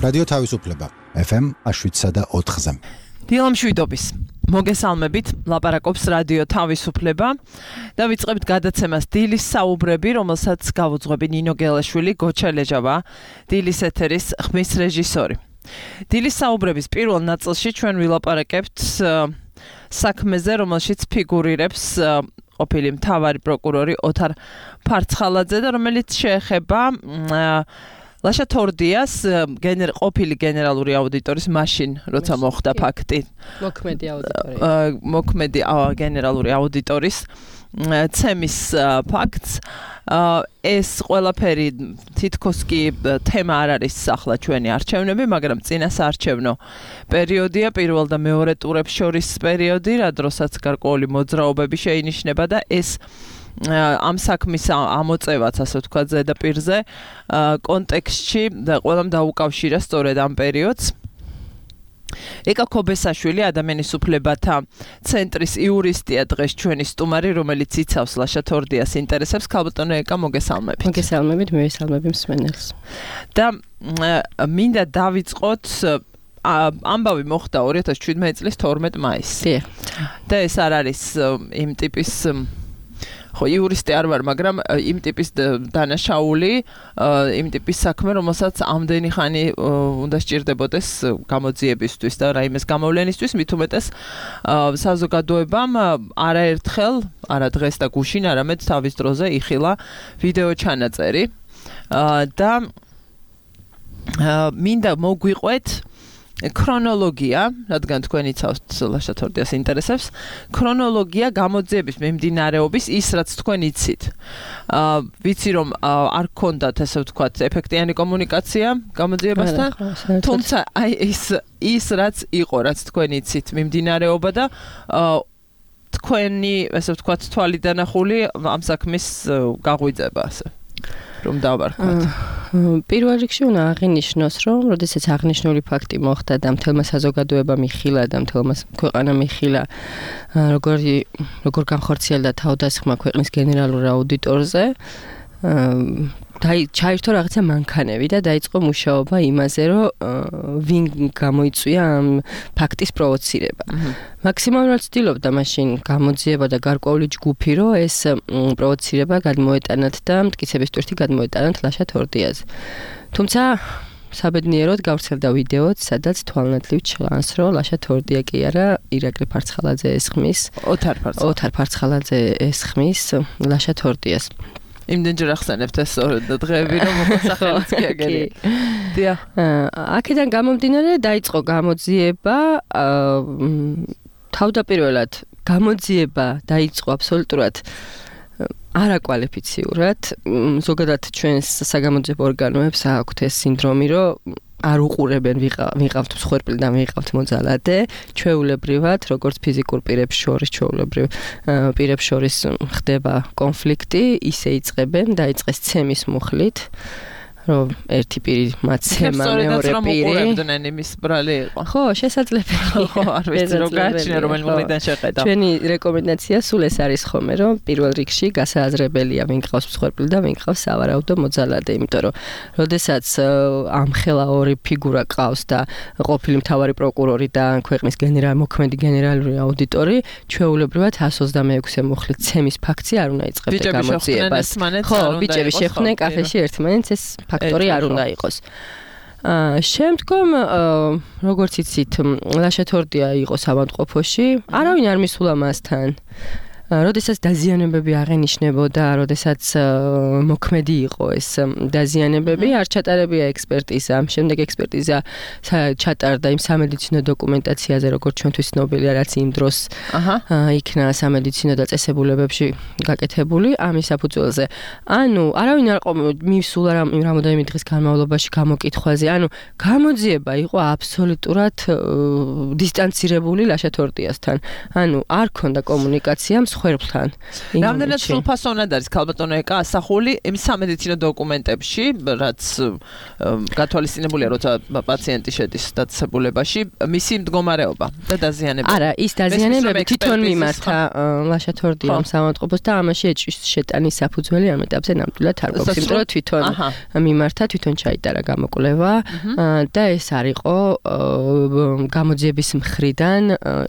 რადიო თავისუფლება FM 7.4-ზე. დილამ შვიდობის. მოგესალმებით, ლაპარაკობს რადიო თავისუფლება და ვიწყებთ გადაცემას დილის საუბრები, რომელსაც გავუძღვები ნინო გელაშვილი, გოჩა ლეჟავა, დილის ეთერის ხმის რეჟისორი. დილის საუბრების პირველ ნაწილში ჩვენ ვილაპარაკებთ საქმეზე, რომელშიც ფიგურირებს ყოფილი მთავარი პროკურორი ოთარ ფარცხალაძე და რომელიც შეეხება ლაშა თორდიას ყოფილი გენერალური აუდიტორის მაშინ როცა მოხდა ფაქტი მოქმედი გენერალური აუდიტორის ცემის ფაქტს ეს ყველაფერი თითქოს კი თემა არ არის ახლა ჩვენი არჩევნები, მაგრამ წინასაარჩევნო პერიოდია, პირველ და მეორე ტურებს შორის პერიოდი, რა დროსაც გარკვეული მოძრაობები შეინიშნება და ეს ამ საქმის ამოწევაც, ასე ვთქვათ, ზედაპირზე კონტექსტში და ყველამ დაუკავშირა სწორედ ამ პერიოდს. ეკა ქობესაშვილი, ადამიანის უფლებათა ცენტრის იურისტია დღეს ჩვენი სტუმარი, რომელიც იცავს ლაშა თორდიას ინტერესებს. ქალბატონო ეკა, მოგესალმებით. მოგესალმებით, მივესალმები მსმენელს. და მინდა დავიწყოთ ამბავი მოხდა 2017 წლის 12 მაისს. და ეს არ არის იმ ტიპის ხო იურისტი არ ვარ, მაგრამ იმ ტიპის დანაშაული, იმ ტიპის საქმე, რომელსაც ამდენი ხანი უნდა სჭირდებოდეს გამოძიებისთვის და რაიმეს გამოვლენისთვის, მით უმეტეს საზოგადოებამ არაერთხელ, არა დღეს და გუშინ, არამედ თავის დროზე იხილა ვიდეო ჩანაწერი და მინდა მოგვიყვეთ ქრონოლოგია, რადგან თქვენ იცავთ ლაშა თორდიას ინტერესებს, ქრონოლოგია გამოძიების მიმდინარეობის ის, რაც თქვენ იცით. ვიცი რომ არ გქონდათ, ასე ვთქვათ, ეფექტიანი კომუნიკაცია გამოძიებასთან, თუმცა აი ის რაც იყო, რაც თქვენ იცით მიმდინარეობა და თქვენი, ასე ვთქვათ, თვალი დანახული ამ საქმის გაღვიძება, ასე რომ დავარქვათ. პირველ რიგში უნდა აღინიშნოს, რომ როდესაც აღნიშნული ფაქტი მოხდა და მთელმა საზოგადოებამ იხილა და მთელმა ქვეყანამ იხილა როგორ განხორციელდა თავდასხმა ქვეყნის გენერალურ აუდიტორზე, ჩაირთო რაღაცა მანქანები და დაიწყო მუშაობა იმაზე, რომ ვინ გამოიწვია ამ ფაქტის პროვოცირება. მაქსიმალურად ცდილობდა მაშინ გამოძიება და გარკვეული ჯგუფი, რომ ეს პროვოცირება გადმოეტანათ და მტკიცების ტვირთი გადმოეტანათ ლაშა თორდიაზე. თუმცა საბედნიეროდ გავრცელდა ვიდეოც, სადაც თვალნათლივ ჩანს, რომ ლაშა თორდია კი არა, ირაკლი ფარცხალაძე ესხმის, ოთარ ფარცხალაძე ესხმის ლაშა თორდიას. იმდენჯერ ახსენებთ ეს დღეები, რომ მოსახელიც კი აგერი. დიახ. აქედან გამომდინარე დაიწყო გამოძიება, თავდაპირველად გამოძიება დაიწყო აბსოლუტურად არაკვალიფიციურად. ზოგადად ჩვენს საგამოძიებო ორგანოებს აქვთ ეს სინდრომი, რომ არ უყურებენ ვიყავთ მსხვერპლი და ვიყავთ მოძალადე, ჩვეულებრივად, როგორც ფიზიკურ პირებს შორის, ჩვეულებრივ პირებს შორის ხდება კონფლიქტი, ისე იწყებენ, დაიწყეს ცემის მუხლით, რომ ერთი პირი მაცემა, მეორე პირი. უყურებდნენ იმის ბრალი იყო. ხო, შესაძლებელი. ხო, არ ვიცი რომ გააჩნია რომელი მუხლიდან შეხედა. ჩვენი რეკომენდაცია სულ ეს არის ხოლმე, რომ პირველ რიგში გასააზრებელია ვინ გყავს მსხვერპლი და ვინ გყავს სავარაუდო მოძალადე, იმიტომ რომ როდესაც ამხელა ორი ფიგურა ყავს და ყოფილი მთავარი პროკურორი და ქვეყნის მოქმედი გენერალური აუდიტორი, ჩვეულებრივად 126 მუხლით ცემის ფაქტი არ უნდა იწყებდეს გამოძიებას. ხო, ბიჭები შეხვდნენ კაფეში ერთმანეთს, ეს ფაქტორი არ უნდა იყოს. შემდგომ, როგორც იცით, ლაშა თორდია იყო ავადმყოფოში, არავინ არ მისულა მასთან. როდესაც დაზიანებები აღენიშნებოდა, როდესაც მოქმედი იყო ეს დაზიანებები, არ ჩატარებია ექსპერტიზა. შემდეგ ექსპერტიზა ჩატარდა იმ სამედიცინო დოკუმენტაციაზე, როგორც ჩვენთვის ცნობილია, რაც იმ დროს იქნა სამედიცინო დაწესებულებებში გაკეთებული ამის საფუძველზე. ანუ არავინ არ მისულა რამოდენიმე დღის განმავლობაში გამოკითხვაზე. ანუ გამოძიება იყო აბსოლუტურად დისტანცირებული ლაშა თორდიასთან. ანუ არ ქონდა კომუნიკაცია მსხვერპლთან. რამდენად სრულფასოვნად არის ქალბატონო ეკა ასახული იმ სამედიცინო დოკუმენტებში, რაც გათვალისწინებულია, როცა პაციენტი შედის დაწესებულებაში, მისი მდგომარეობა და დაზიანება. არა, ის დაზიანებები თვითონ მიმართა ლაშათორდიამ საავადმყოფოს და ამაში ეჭვის შეტანის საფუძველი ამ ეტაპზე ნამდვილად არ გვაქვს, იმიტომ რომ თვითონ მიმართა, თვითონ ჩაიტარა გამოკვლევა და ეს არ იყო გამოძიების მხრიდან,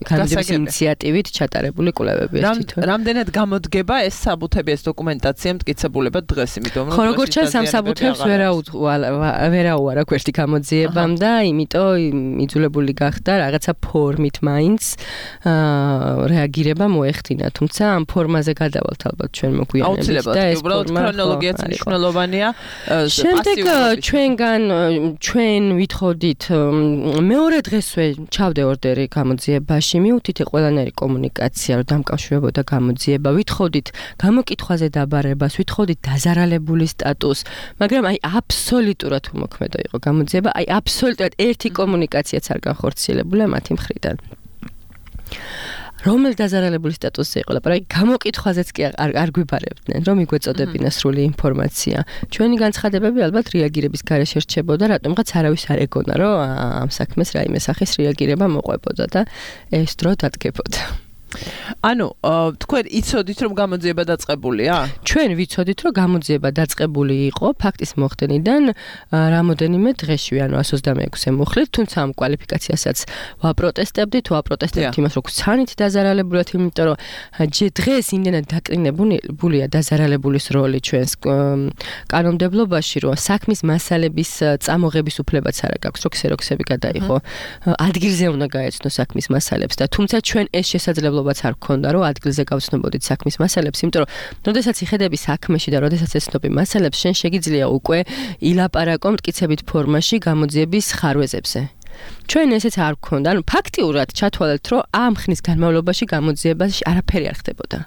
გამოძიების ინიციატივით ჩატარებული კვლევები ეს თვითონ. რამდენად გამოდგება ეს საბუთები, ეს დოკუმენტაცია მტკიცებულებად დღეს, იმიტომ რომ როგორც ჩანს ამ საბუთებს ვერაუარა გვერდი გამოძიებამ და იმიტომ იძულებული გახდა რაღაცა ფორმით მაინც რეაგირება მოეხდინა, თუმცა ამ ფორმაზე გადავალთ ალბათ ჩვენ მოგვიანებით და ეს უბრალოდ ქრონოლოგიაც მნიშვნელოვანია. შემდეგ ჩვენ ვითხოვდით მეორე დღესვე ჩავდე ორდერი გამოძიებაში, მივუთით ყველანაირი კომუნიკაცია, რომ დამკავშირებოდა გამოძიება, ვითხოვდით გამოკითხვაზე დაბარებას, ვითხოვდით დაზარალებული სტატუსს, მაგრამ აბსოლუტურად უმოქმედო იყო გამოძიება, აბსოლუტურად ერთი კომუნიკაციაც არ განხორციელებულა მათი მხრიდან. რომელ დაზარალებული სტატუსზე იყო ლაპარაკი, გამოკითხვაზეც კი არ გვიბარებდნენ, რომ იგვეწოდებინა სრული ინფორმაცია. ჩვენი განცხადებები ალბათ რეაგირების გარეშე რჩებოდა, რატომღაც არავის არ ეგონა, რომ ამ საქმეს რაიმე სახის რეაგირება მოყვებოდა და ეს დრო დადგებოდა. ანუ თქვენ იცოდით რომ გამოძიება დაწყებულია? ჩვენ ვიცოდით რომ გამოძიება დაწყებული იყო ფაქტის მოხდენიდან რამოდენიმე დღეში, ანუ 126-ე მუხლით, თუმცა ამ კვალიფიკაციასაც ვაპროტესტებდით იმას, რომ ცანით დაზარალებულად, იმიტომ რომ დღეს იმდენად დაკრინებულია დაზარალებულის როლი ჩვენს კანონმდებლობაში, რომ საქმის მასალების წამოღების უფლებაც არ აქვს, რომ ქსეროქსები გადაიღო. ადგილზე უნდა გაეცნო საქმის მასალებს და თუმცა ჩვენ ეს შესაძლებლობა არ გქონდა, რომ ადგილზე გავცნობოდით საქმის მასალებს, იმიტომ რომ როდესაც იხედები საქმეში და როდესაც ეცნობი მასალებს, შენ შეგიძლია უკვე ილაპარაკო მტკიცებით ფორმაში გამოძიების ხარვეზებზე. ჩვენ ესეც არ გქონდა, ანუ ფაქტიურად ჩათვალეთ, რომ ამ ხნის განმავლობაში გამოძიებაში არაფერი არ ხდებოდა.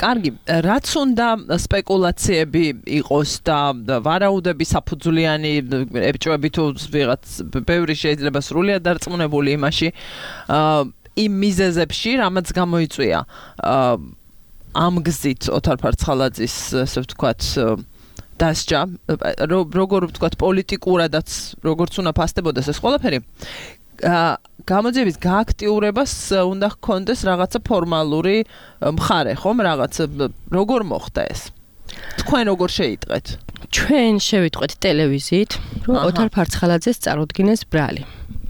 კარგი, რაც უნდა სპეკულაციები იყოს და ვარაუდები საფუძვლიანი ებჭვები თუ ვიღაც ბევრი შეიძლება სრულიად დარწმუნებული იმაში იმ მიზეზებში, რამაც გამოიწვია ამ გზით ოთარ ფარცხალაძის, ასე ვთქვათ, დასჯა, როგორ ვთქვათ, პოლიტიკურადაც, როგორც უნდა ფასდებოდეს ეს ყველაფერი, გამოძიების გააქტიურებას უნდა ჰქონდეს რაღაცა ფორმალური მხარე, ხომ? რაღაცა როგორ მოხდა ეს? თქვენ როგორ შეიტყვეთ? ჩვენ შევიტყვეთ ტელევიზიით, რომ ოთარ ფარცხალაძეს წარუდგინეს ბრალი.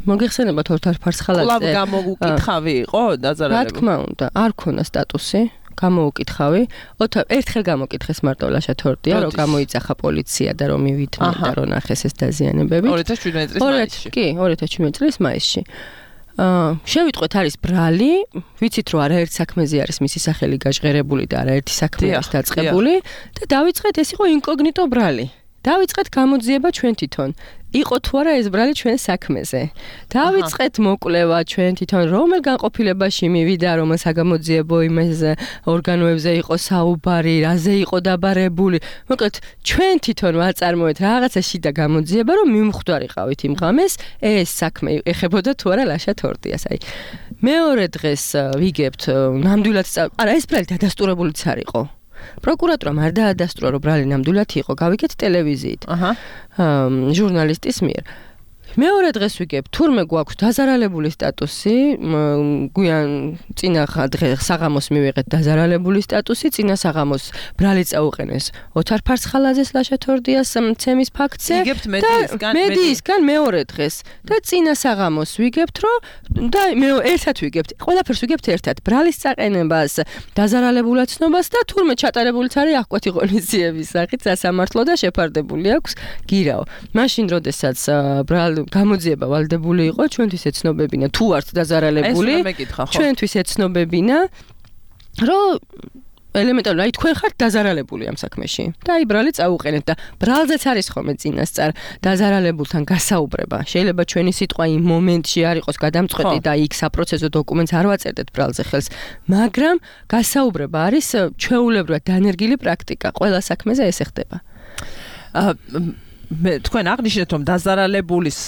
მოგეხსენებათ ოთარ ფარცხალაძე. კლავ გამოუკითხავი იყო დაზარალებული? რა თქმა უნდა, არ ქონა სტატუსი, გამოუკითხავი. ერთხელ გამოკითხეს მარტო ლაშათორდია, რომ გამოიძახა პოლიცია და რომ მივიდნენ და რომ ნახეს ეს დაზიანებები. 2017 წლის მაისში. კი, 2017 წლის მაისში. შევიტყვეთ არის ბრალი, ვიცით რომ არაერთ საქმეზე არის მისი სახელი გაჟღერებული და არაერთი საქმე არის დაწყებული და დავიწყეთ ეს იყო ინკოგნიტო ბრალი. დავიწყეთ გამოძიება ჩვენ თვითონ. იყო თუ არა ეს ბრალი ჩვენ საქმეზე. დავიწყეთ მოკვლევა ჩვენ თვითონ, რომელ განყოფილებაში მივიდა, რომელ საგამოძიებო იმას ორგანოებზე იყო საუბარი, რაზე იყო დაბარებული. მოკლედ ჩვენ თვითონ ვაწარმოეთ რაღაცა შიდა გამოძიება, რომ მიმხვდარიყავით იმ ღამეს, ეს საქმე ეხებოდა თუ არა ლაშათორდიას. მეორე დღეს ვიგებთ ნამდვილად არა ეს ბრალი დადასტურებულიც არ იყო. პროკურატურამ არ დაადასტურა, რომ ბრალი ნამდვილად იყო, გავიგეთ ტელევიზიით. ჟურნალისტის მიერ. მეორე დღეს ვიგებ, თურმე გვაქვს დაზარალებული სტატუსი, გვიან წინა დღეს საღამოს მივიღეთ დაზარალებული სტატუსი, წინა საღამოს ბრალი წაუყენეს ოთარ ფარცხალაძეს ლაშათორდიას მცემის ფაქტზე. იგებთ მედიისგან მეორე დღეს და წინა საღამოს ვიგებთ, რომ და ერთად ვიგებთ, ყველაფერს ვიგებთ ერთად, ბრალის წაყენებას, დაზარალებულად ცნობას და თურმე ჩატარებულიც არის აღკვეთი ღონისძიების სახით სასამართლო და შეფარდებული აქვს გირაო. მაშინ როდესაც გამოძიება ვალდებული იყო, ჩვენთვის ეცნობებინა თუ არც დაზარალებული, ჩვენთვის ეცნობებინა, რომ ელემენტარულად აი თქვენ ხართ დაზარალებული ამ საქმეში და აი ბრალი წაუყენეთ და ბრალზეც არის ხოლმე წინასწარ დაზარალებულთან გასაუბრება. შეიძლება ჩვენი სიტყვა იმ მომენტში არ იყოს გადამწყვეტი და იქ საპროცესო დოკუმენტს არ ვაწერდეთ ბრალზე ხელს, მაგრამ გასაუბრება არის ჩვეულებრივად დანერგილი პრაქტიკა. ყველა საქმეზე ესე ხდება. თქვენ აღნიშნეთ რომ დაზარალებულის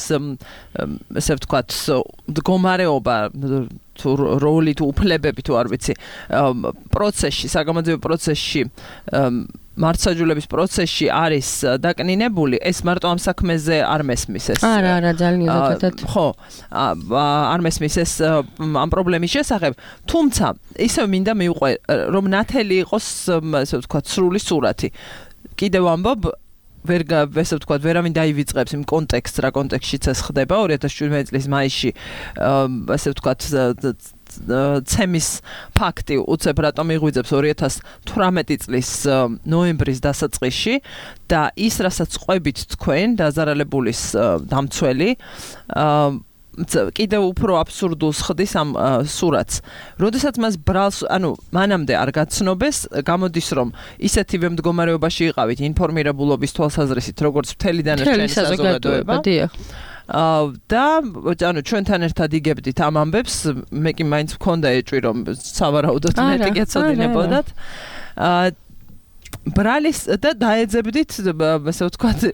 ესე ვთქვათ მდგომარეობა თუ როლი თუ უფლებები თუ არ ვიცი პროცესში საგამოძიებო პროცესში მართლმსაჯულების პროცესში არის დაკნინებული ეს მარტო ამ საქმეზე არ მესმის ეს არა ძალიან ზოგადად ხო არ მესმის ეს ამ პრობლემის შესახებ თუმცა ისევ მინდა მივყვე რომ ნათელი იყოს ესე ვთქვათ სრული სურათი კიდევ ამბობ ესე ვთქვათ ვერავინ დაივიწყებს იმ კონტექსტს რა კონტექსტშიც ეს ხდება 2017 წლის მაისში ესე ვთქვათ ცემის ფაქტი უცებ რატომ იღვიძებს 2018 წლის ნოემბრის დასაწყისში და ის რასაც ყვებით თქვენ დაზარალებულის დამცველი კიდევ უფრო აბსურდულს ხდის ამ სურათს. როდესაც მას ბრალს, ანუ მანამდე არ გაცნობეს, გამოდის რომ ისეთივე მდგომარეობაში იყავით ინფორმირებულობის თვალსაზრისით, როგორც მთელი დანარჩენი საზოგადოება. და ანუ ჩვენთან ერთად იგებდით ამ ამბებს, მე კი მაინც მქონდა ეჭვი რომ სავარაუდოდ მეტი გეცოდინებოდათ. ბრალის და დაეძებდით ასე ვთქვათ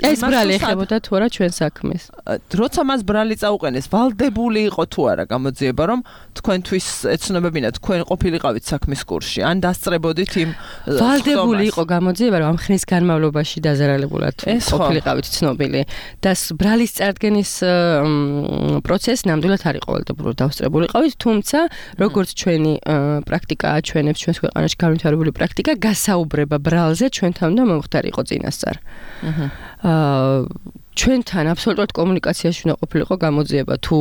ეს ბრალი ეხებოდა თუ არა ჩვენ საქმეს როცა მას ბრალი წაუყენეს ვალდებული იყო თუ არა გამოძიება რომ თქვენთვის ეცნობებინა თქვენ ყოფილიყავით საქმის კურსში ან დასწრებოდით იმ ვალდებული იყო გამოძიება რომ ამ ხნის განმავლობაში დაზარალებულად ყოფილიყავით ცნობილი და ბრალის წარდგენის პროცესი ნამდვილად არ იყო ვალდებულო დავსწრებულიყავით თუმცა როგორც ჩვენი პრაქტიკა აჩვენებს ჩვენს ქვეყანაში განვითარებული პრაქტიკა გასაუბრება ბრალზე ჩვენთან უნდა მომხდარიყო წინასწარ. ჩვენთან აბსოლუტურად კომუნიკაციაში უნდა ყოფილიყო გამოძიება თუ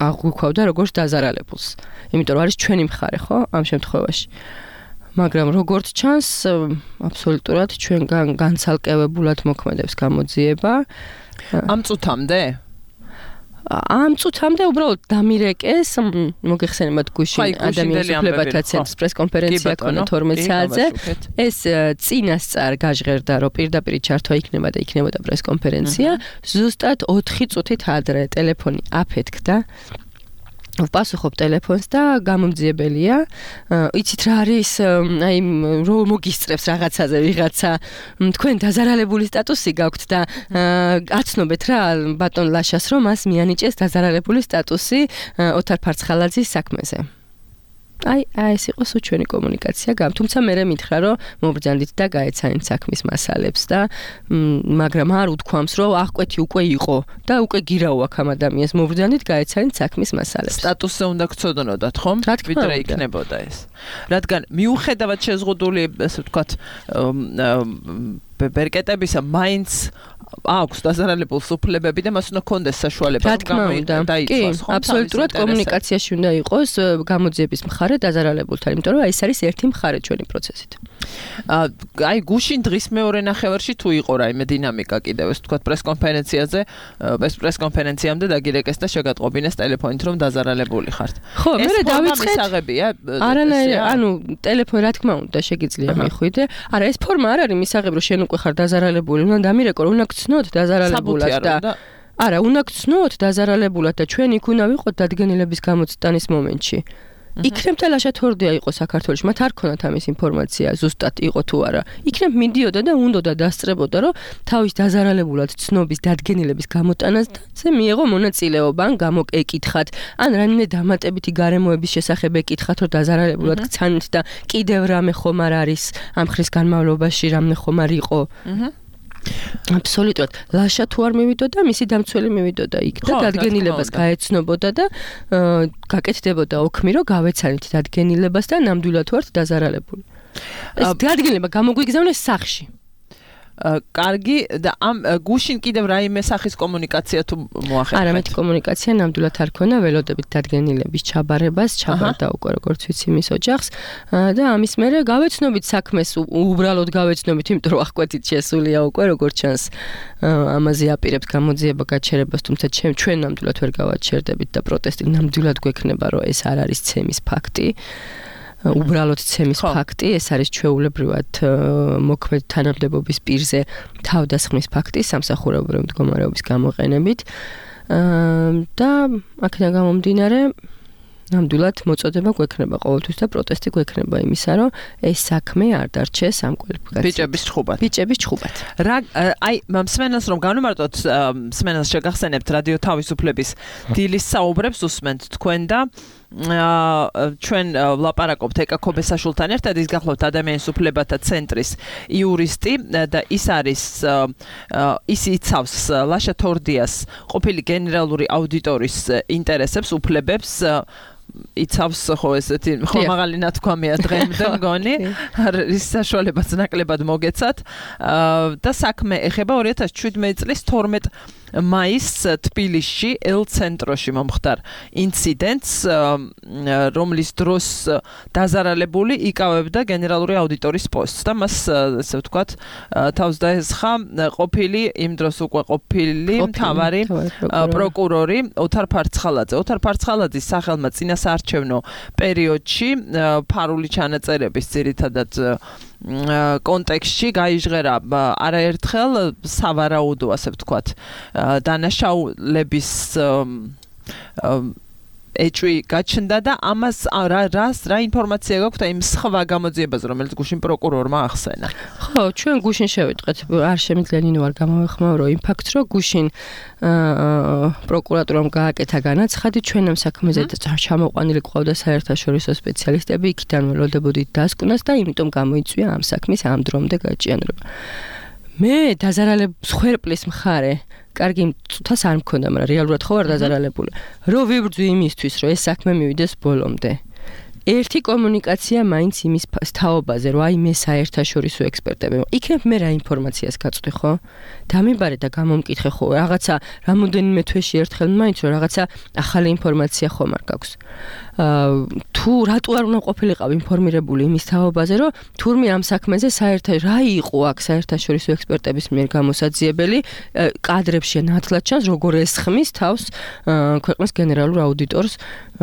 აღვიქვავდა როგორც დაზარალებულს. იმიტომ რომ არის ჩვენი მხარე, ხო, ამ შემთხვევაში. მაგრამ როგორც ჩანს, აბსოლუტურად ჩვენგან განცალკევებულად მოქმედებს გამოძიება. ამ წუთამდე ამ წუთამდე უბრალოდ დამირეკეს მოგეხსენებათ გუშინ ადამიანის უფლებათა ცენტრის პრესკონფერენცია ქონა 12 საათზე ეს წინასწარ გაჟღერდა რომ პირდაპირ ჩართვა იქნება და იქნებოდა პრესკონფერენცია ზუსტად 4 წუთით ადრე ტელეფონი აფეთქდა ვპასუხობ ტელეფონს და გამომძიებელია. იცით რა არის, აი რომ მოგისწრებს რაღაცაზე ვიღაცა, თქვენ დაზარალებული სტატუსი გაქვთ და აცნობეთ რა ბატონ ლაშას რომ მას მიანიჭეს დაზარალებული სტატუსი ოთარ ფარცხალაძის საქმეზე. აი ეს იყო სულ ჩვენი კომუნიკაცია თუმცა მე მითხრა რომ მობრძანდით და გაეცანით საქმის მასალებს და მაგრამ არ უთქვამს რომ აღკვეთი უკვე იყო და უკვე გირაო აქ ამ ადამიანს მობრძანდით გაეცანით საქმის მასალებს სტატუსზე უნდა გწოდნოდათ ხომ ვიდრე იქნებოდა ეს რადგან მიუხედავად შეზღუდული ასე ვთქვათ ბერკეტებისა მაინც აქვს დაზარალებულს უფლებები და მას უნდა კონდეს საშუალება რომ დაიცვას ხო? აბსოლუტურად კომუნიკაციაში უნდა იყოს გამოძიების მხარე დაზარალებულთან, იმიტომ რომ ეს არის ერთი მხარე ჩვენი პროცესით. აი გუშინ დღის მეორე ნახევარში თუ იყო რაიმე დინამიკა კიდევ ეს თქვა პრესკონფერენციაზე, ეს პრესკონფერენციამდე დაგირეკეს და შეგატყობინეს ტელეფონით რომ დაზარალებული ხართ. ხო, მე დავიწყეთ. არანაირი, ანუ ტელეფონი რა თქმა უნდა შეგიძლია მიხვიდე. არა, ეს ფორმა არ არის მისაღები რომ შენ უკვე ხარ დაზარალებული, უნდა დამირეკო რომ უნდა გცნოთ დაზარალებულად და არა, უნდა გცნოთ დაზარალებულად და ჩვენ იქ უნდა ვიყოთ დადგენილების გამოცდანის მომენტში. იქნებ და ლაშათორდია იყო საქართველოში, მათ არ ქონათ ამის ინფორმაცია, ზუსტად იყო თუ არა. იქნებ მიდიოდა და უნდოდა დასწრებოდა, რომ თავის დაზარალებულად ცნობის დადგენილების გამოტანაზე მიიღო მონაწილეობა, ან გამოკეკითხათ, ან რამე დამატებითი გარემოების შესახებ ეკითხათ, რომ დაზარალებულად გცანით და კიდევ რამე ხომ არ არის ამ ხრის განმავლობაში რამე ხომ არ იყო. აბსოლუტურად ლაშა თუ არ მივიდოდა მისი დამცველი მივიდოდა იქ და დადგენილებას გაეცნობოდა და გაკეთდებოდა ოქმი რომ გავეცანით დადგენილებას და ნამდვილად ვართ დაზარალებული ეს დადგენილება გამოგვიგზავნეს სახლში კარგი და ამ გუშინ კიდევ რაიმე სახის კომუნიკაცია თუ მოახერხეთ? არა, მეტი კომუნიკაცია ნამდვილად არ ქონა, ველოდებით დადგენილების ჩაბარებას, ჩაბარდა უკვე როგორც ვიცი მის ოჯახს და ამის მერე გავეცნობით საქმეს, უბრალოდ გავეცნობით, იმიტომ რომ აღკვეთით შესულია უკვე როგორც ჩანს ამაზე აპირებს გამოძიება გაჩერებას, თუმცა ჩვენ ნამდვილად ვერ გავაჩერდებით და პროტესტი ნამდვილად გვექნება, რომ ეს არ არის ცემის ფაქტი. უბრალოდ ცემის ფაქტი, ეს არის ჩვეულებრივად მოქმედ თანამდებობის პირზე თავდასხმის ფაქტი სამსახურებრივი მდგომარეობის გამოყენებით და აქედან გამომდინარე ნამდვილად მოწოდება გვექნება ყოველთვის და პროტესტი გვექნება იმისა, რომ ეს საქმე არ დარჩეს ამ კვალიფიკაციით. ბიჭების ჩხუბად. აი, მსმენელს რომ განვმარტოთ, მსმენელს შეგახსენებთ რადიო თავისუფლების დილის საუბრებს უსმენთ თქვენ და ჩვენ ვლაპარაკობთ ეკა ქობესაშვილთან ერთად, ის გახლავთ ადამიანის უფლებათა ცენტრის იურისტი და ის არის ის იცავს ლაშა თორდიას ყოფილი გენერალური აუდიტორის ინტერესებს, უფლებებს იცავს ხო ესეთი ხომაღალი ნათქვამია დღემდე მგონი ის საშუალებაც ნაკლებად მოგეცათ და საქმე ეხება 2017 წლის 12 მაისს თბილისში ელ-ცენტროში მომხდარ ინციდენტს, რომლის დროს დაზარალებული იკავებდა გენერალური აუდიტორის პოსტს და მას ესე ვთქვათ თავს დაესხა ყოფილი იმ დროს უკვე ყოფილი მთავარი პროკურორი ოთარ ფარცხალაძე. ოთარ ფარცხალაძის სახელმა წინასაარჩევნო პერიოდში ფარული ჩანაწერების ძირითადად კონტექსტში გაიჟღერა არაერთხელ სავარაუდო, ასე ვთქვათ, დანაშაულების ეჭვი გაჩნდა და ამას რა ინფორმაცია გაქვთ იმ სხვა გამოძიებას, რომელიც გუშინ პროკურორმა ახსენა? ხო, ჩვენ გუშინ შევიტყვეთ, არ შემიძლია ვარ გამოვეხმაურო იმ ფაქტს, რომ გუშინ პროკურატურამ გააკეთა განაცხადი, ჩვენ ამ საქმეზე ჩამოყვანილი ყავდა საერთაშორისო სპეციალისტები, იქიდან ველოდებოდით დასკვნას და იმიტომ გამოიწვია ამ საქმის ამ დრომდე გაჭიანურება. მე დაზარალების ხერპლის მხარე კარგი თუთას არ მქონდა, მაგრამ რეალურად ხო არ დაზარალებული. რო ვიბრძვი იმისთვის, რომ ეს საქმე მივიდეს ბოლომდე. ერთი კომუნიკაცია მაინც იმის თაობაზე, რომ აი მე საერთაშორისო ექსპერტები. იქნებ მე რა ინფორმაციას გაწვდი, ხო? დამიბარე და გამომკითხე ხო, რაღაცა რამოდენიმე თვეში ერთხელ მაინც რომ რაღაცა ახალი ინფორმაცია ხომ არ გაქვს. თუ რატო არ უნდა ყოფილიყავ ინფორმირებული იმის თაობაზე, რომ თურმე ამ საქმეზე რა იყო აქ საერთაშორისო ექსპერტების მიერ გამოსაძიებელი, კადრებში ნათლად ჩანს, როგორ ესხმის თავს ქვეყნის გენერალურ აუდიტორს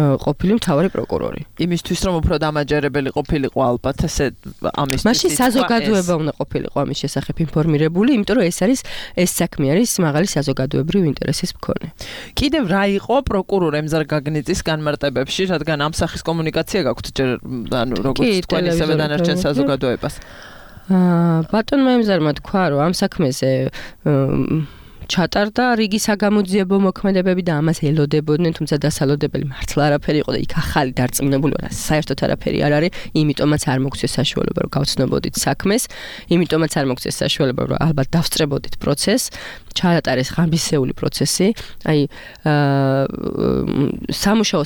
ყოფილი მთავარი პროკურორი. იმისთვის რომ უფრო დამაჯერებელი ყოფილიყო ალბათ ესე ამის მაშინ საზოგადოება უნდა ყოფილიყო ამის შესახებ ინფორმირებული, იმიტომ რომ ეს საქმე არის მაღალი საზოგადოებრივი ინტერესის მქონე. კიდევ რა იყო პროკურორ ემზარ გაგნიძის განმარტებებში, რადგან ამ სახის კომუნიკაცია გაქვთ ჯერ ანუ როგორც თქვენ ისევე დანარჩენ საზოგადოებას? ბატონმა ემზარმა თქვა, რომ ამ საქმეზე ჩატარდა რიგი საგამოძიებო მოქმედებები და ამას ელოდებოდნენ, თუმცა დასალოდებელი მართლა არაფერი იყო და იქ ახალი დარწმუნებული ვარ, საერთოდ არაფერი არ არის, იმიტომაც არ მოგცეს საშუალება, რომ გავცნობოდით საქმეს, იმიტომაც არ მოგცეს საშუალება, რომ ალბათ დავსწრებოდით პროცესს, ჩაატარეს ღამისეული პროცესი, აი სამუშაო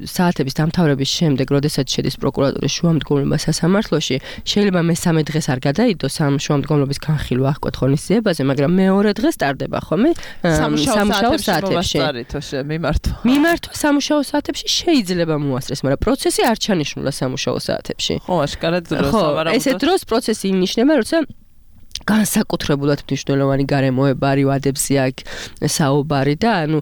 საათების დამთავრების შემდეგ, როდესაც შედის პროკურატურის შუამდგომლობა სასამართლოში, შეიძლება მესამე დღეს არ გადაიდოს ამ შუამდგომლობის განხილვა აღკვეთ ღონისძიებაზე, მაგრამ მეორე დღეს ტარდება ხოლმე სამუშაო საათებში. მიმართვა სამუშაო საათებში შეიძლება მოასწრეს, მაგრამ პროცესი არ ჩანიშნულა სამუშაო საათებში. ხო, აშკარად სავარაუდოდ. ესე დროს პროცესი ინიშნება, როცა განსაკუთრებულად მნიშვნელოვანი გარემოება არის ვადებზე აქ საუბარი და ანუ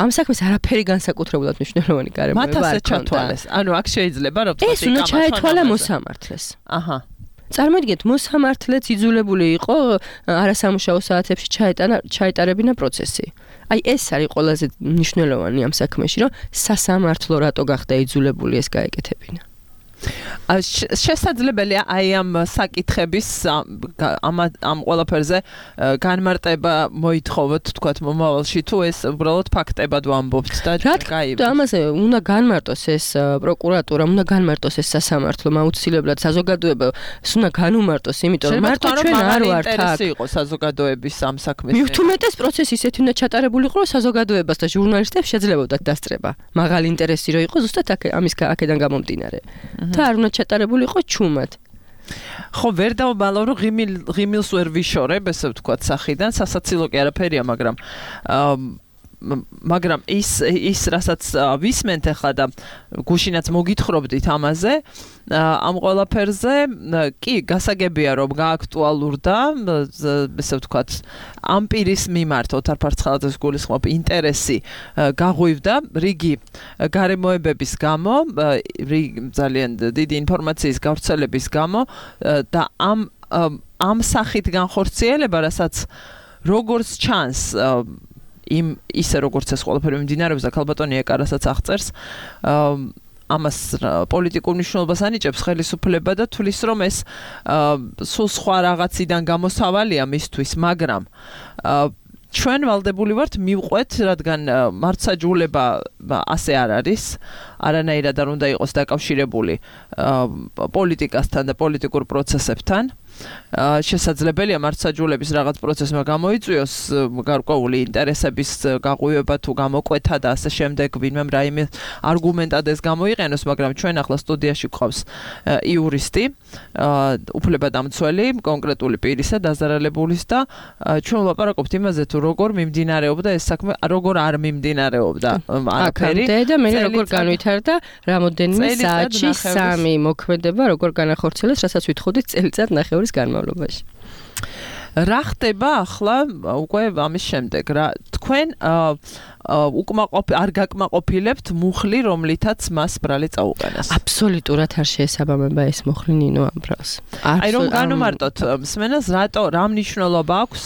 ამ საქმეს არაფერი განსაკუთრებულად მნიშვნელოვანი გარემოება არ ჩათვალეს. ანუ აქ შეიძლება რომ ეს უნდა ჩაეთვალა მოსამართლეს. აჰა. წარმოიდგინეთ, მოსამართლეც იძულებული იყო არასამუშაო საათებში ჩაეტარებინა პროცესი. აი ეს არის ყველაზე მნიშვნელოვანი ამ საქმეში, რომ სასამართლო რატო გახდა იძულებული ეს გაეკეთებინა. შესაძლებელია აი ამ საკითხების ამ ყველაფერზე განმარტება მოითხოვოთ, თქვათ მომავალში, თუ ეს უბრალოდ ფაქტებად ვამბობთ და გაიგეთ. ამაზე უნდა განმარტოს ეს პროკურატურა, უნდა განმარტოს ეს სასამართლო, აუცილებლად საზოგადოებას უნდა განუმარტოს, იმიტომ რომ მარტო ჩვენ არ ვართ აქ. ინტერესი იყო საზოგადოების ამ საქმეს. მithumetes პროცესი ისეთი უნდა ჩატარებულიყო, რომ საზოგადოებას და ჟურნალისტებს შეძლებოდათ დასწრება. მაღალი ინტერესი რო იყო ზუსტად აქედან გამომდინარე. და არ უნდა ჩატარებული იყო ჩუმად. ხო, ვერ დავბალავ, რომ ღიმილს ვერ ვიშორებ, ესე ვთქვათ, სახიდან, სასაცილო კი არაფერია, მაგრამ ის რასაც ვისმენთ ახლა და გუშინაც მოგითხრობდით ამაზე, ამ ყველაფერზე კი გასაგებია რომ გააქტუალურდა, ესე ვთქვათ, ამ პირის მიმართ ოთარ ფარცხალაძეს გულისხმობ ინტერესი გაღვივდა რიგი გარემოებების გამო, ძალიან დიდი ინფორმაციის გავრცელების გამო და ამ სახით განხორციელება, რასაც როგორც ჩანს ისე როგორც ეს ყველაფერი მიმდინარეობს და ქალბატონი ეკარასაც აღწერს ამას პოლიტიკურ მნიშვნელობას ანიჭებს ხელისუფლება და თulis რომ ეს სულ სხვა რაღაციდან გამოსავალია მისთვის, მაგრამ ჩვენ ვალდებული ვართ მივყვეთ, რადგან მართლმსაჯულება ასე არ არის, არანაირად არ უნდა იყოს დაკავშირებული პოლიტიკასთან და პოლიტიკურ პროცესებთან. შესაძლებელია მართლმსაჯულების რაღაც პროცესმა გამოიწვიოს გარკვეული ინტერესების გაღვივება თუ გამოკვეთა და ასე შემდეგ, ვინმემ რაიმე არგუმენტად ეს გამოიყენოს, მაგრამ ჩვენ ახლა სტუდიაში გვყავს იურისტი, უფლებადამცველი, კონკრეტული პირისა, დაზარალებულის და ჩვენ ვლაპარაკობთ იმაზე, თუ როგორ მიმდინარეობდა ეს საქმე, როგორ არ მიმდინარეობდა არაფერი და მე როგორ განვითარდა რამოდენიმე საათში 3 მოქმედება, როგორ განახორციელეს, რასაც ვითხოვდით წელიწად ნახევრის განმავლობაში. რა ხდება ახლა უკვე ამის შემდეგ? თქვენ არ გაკმაყოფილებთ მუხლი, რომლითაც მას ბრალი წაუყენეს? აბსოლუტურად არ შეესაბამება ეს მუხლი ნინო ამბრავს. აი რომ განუმარტოთ მსმენელს, რა მნიშვნელობა აქვს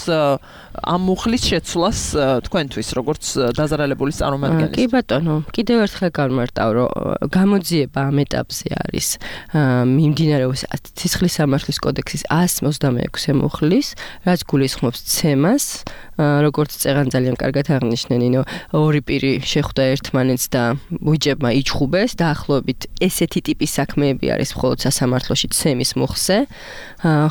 ამ მუხლის შეცვლას თქვენთვის, როგორც დაზარალებულის წარმომადგენლის? კი ბატონო, კიდევ ერთხელ განმარტავ, რომ გამოძიება ამ ეტაპზე არის მიმდინარეობს ცისხლის სამართლის კოდექსის 126 მუხლის, რაც გულისხმობს ცემას, როგორც წეღან ძალიან კარგად აღნიშნე ნინო, ორი პირი შეხვდა ერთმანეთს და უჯებმა იჩხუბეს, დაახლოებით ესეთი ტიპის საქმეები არის მხოლოდ სასამართლოში ცემის მუხლზე,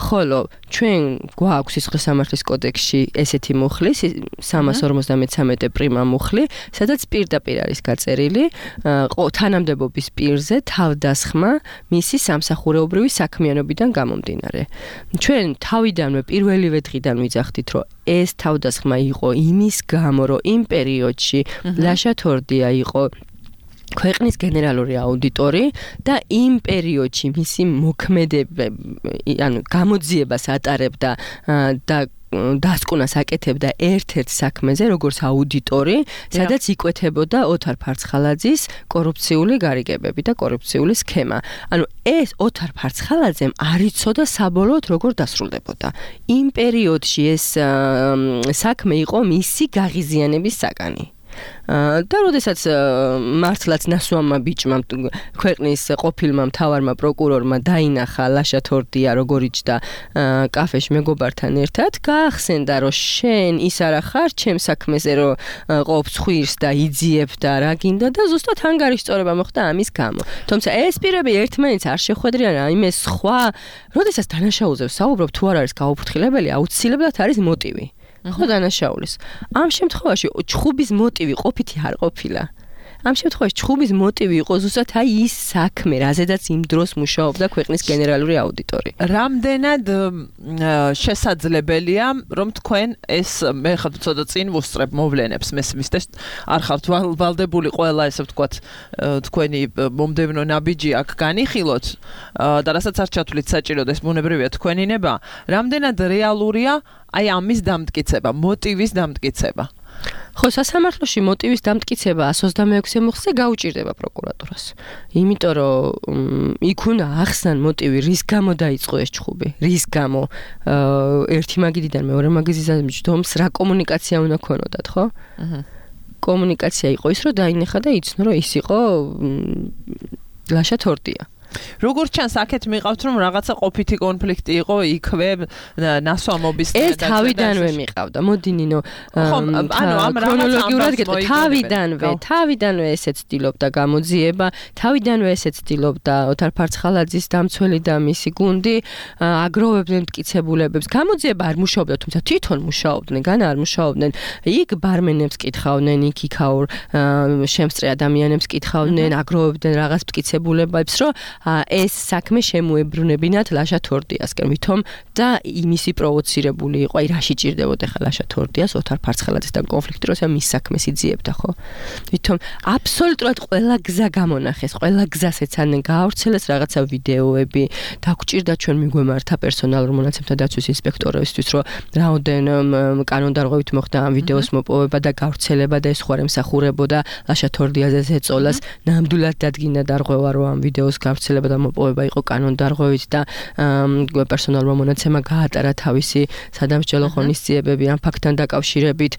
ხოლო ჩვენ გვაქვს სისხლის სამართლის კოდექსში ესეთი მუხლი, 353 პრიმა მუხლი, სადაც პირდაპირ არის გაწერილი თანამდებობის პირზე თავდასხმა მისი სამსახურეობრივი საქმიანობიდან გამომდინარე. ჩვენ თავიდანვე პირველივე დღიდან ვიძახდით, რომ ეს თავდასხმა იყო იმის გამო, რომ იმ პერიოდში ლაშა თორდია იყო ქვეყნის გენერალური აუდიტორი და იმ პერიოდში მისი მოქმედება, ანუ გამოძიებას ატარებდა და დასკვნას აკეთებდა ერთ-ერთ საქმეზე, როგორც აუდიტორი, სადაც იკვეთებოდა ოთარ ფარცხალაძის კორუფციული გარიგებები და კორუფციული სქემა. ანუ ეს ოთარ ფარცხალაძემ არ იცოდა საბოლოოდ როგორ დასრულდებოდა. იმ პერიოდში ეს საქმე იყო მისი გაღიზიანების საკანი. და როდესაც მართლაც ნასვამმა ბიჭმა ქვეყნის ყოფილმა მთავარმა პროკურორმა დაინახა ლაშა თორდია როგორ იჯდა კაფეში მეგობართან ერთად, გაახსენდა რომ შენ ის არა ხარ ჩემ საქმეზე რომ ყოფს ხვირს და იძიებ და რა გინდა და ზუსტად ანგარიშწორება მოხდა ამის გამო. თუმცა ეს პირები ერთმანეთს არ შეხვედრიან რაიმე სხვა, როდესაც დანაშაულზე საუბრობ თუ არ არის გაუფრთხილებელი, აუცილებლად არის მოტივი. ხო დანაშაულის. ამ შემთხვევაში ჩხუბის მოტივი ყოფითი არ ყოფილა. ამ შემთხვევაში ჩხუბის მოტივი იყო ზუსტად აი ის საქმე, რაზედაც იმ დროს მუშაობდა ქვეყნის გენერალური აუდიტორი. რამდენად შესაძლებელია, რომ თქვენ ეს მე ხარ ცოტა წინ ვუსწრებ მოვლენებს მესმის და არ ხართ ვალდებული ყველა ესე ვთქვათ თქვენი მომდევნო ნაბიჯი აქ განიხილოთ და რასაც არ ჩათვლით საჭიროდ ეს ბუნებრივია თქვენი ნება, რამდენად რეალურია აი ამის დამტკიცება, მოტივის დამტკიცება? ხო, სასამართლოში მოტივის დამტკიცება 126 მუხლზე გაუჭირდება პროკურატურას. იმიტომ რომ იქ უნდა ახსნან მოტივი, რის გამო დაიწყო ეს ჩხუბი, რის გამო ერთი მაგიდიდან მეორე მაგიდიდან ჯდომს რა კომუნიკაცია უნდა ქონოდათ, ხო? კომუნიკაცია იყო ის, რომ დაინახა და იცნო, რომ ის იყო ლაშა თორდია. როგორც ჩანს, აქეთ მიყავთ, რომ რაღაცა ყოფითი კონფლიქტი იყო იქვე ნასვამობის ეს თავიდანვე მიყავდა. მოდი ნინო, ქრონოლოგიურად გეტყვი, თავიდანვე ესე ცდილობდა გამოძიება, თავიდანვე ესე ცდილობდა ოთარ ფარცხალაძის დამცველი და მისი გუნდი აგროვებდნენ მტკიცებულებებს. გამოძიება არ მუშაობდა, თუმცა თვითონ მუშაობდნენ, განა არ მუშაობდნენ. იქ ბარმენებს კითხავდნენ, იქ იქაურ შემსწრე ადამიანებს კითხავდნენ, აგროვებდნენ რაღაც მტკიცებულებებს, რომ ეს საქმე შემოებრუნებინათ ლაშა თორდიასკენ, ვითომ და იმისი პროვოცირებული იყო, აი რაში ჭირდებოდა ხა ლაშა თორდიას ოთარ ფარცხალაძესთან კონფლიქტი, როცა მის საქმეს იძიებდა, ხო? ვითომ აბსოლუტურად ყველა გზა გამონახეს, ყველა გზას ეცადნენ გაავრცელეს რაღაცა ვიდეოები, დაგვჭირდა ჩვენ მიგვემართა პერსონალურ მონაცემთა დაცვის ინსპექტორებისთვის, რომ რაოდენ კანონდარღვევით მოხდა ამ ვიდეოს მოპოვება და გავრცელება და ეს ხوار ემსახურებოდა ლაშა თორდიაზე ეწოლას, ნამდვილად დადგინდა დარღვევა, რომ ამ ვიდეოს გავრცელება განხორციელება და მოპოვება იყო კანონდარღვევით და პერსონალურმა მონაცემმა გაატარა თავისი სადამსჯელო ღონისძიებები ამ ფაქტთან დაკავშირებით.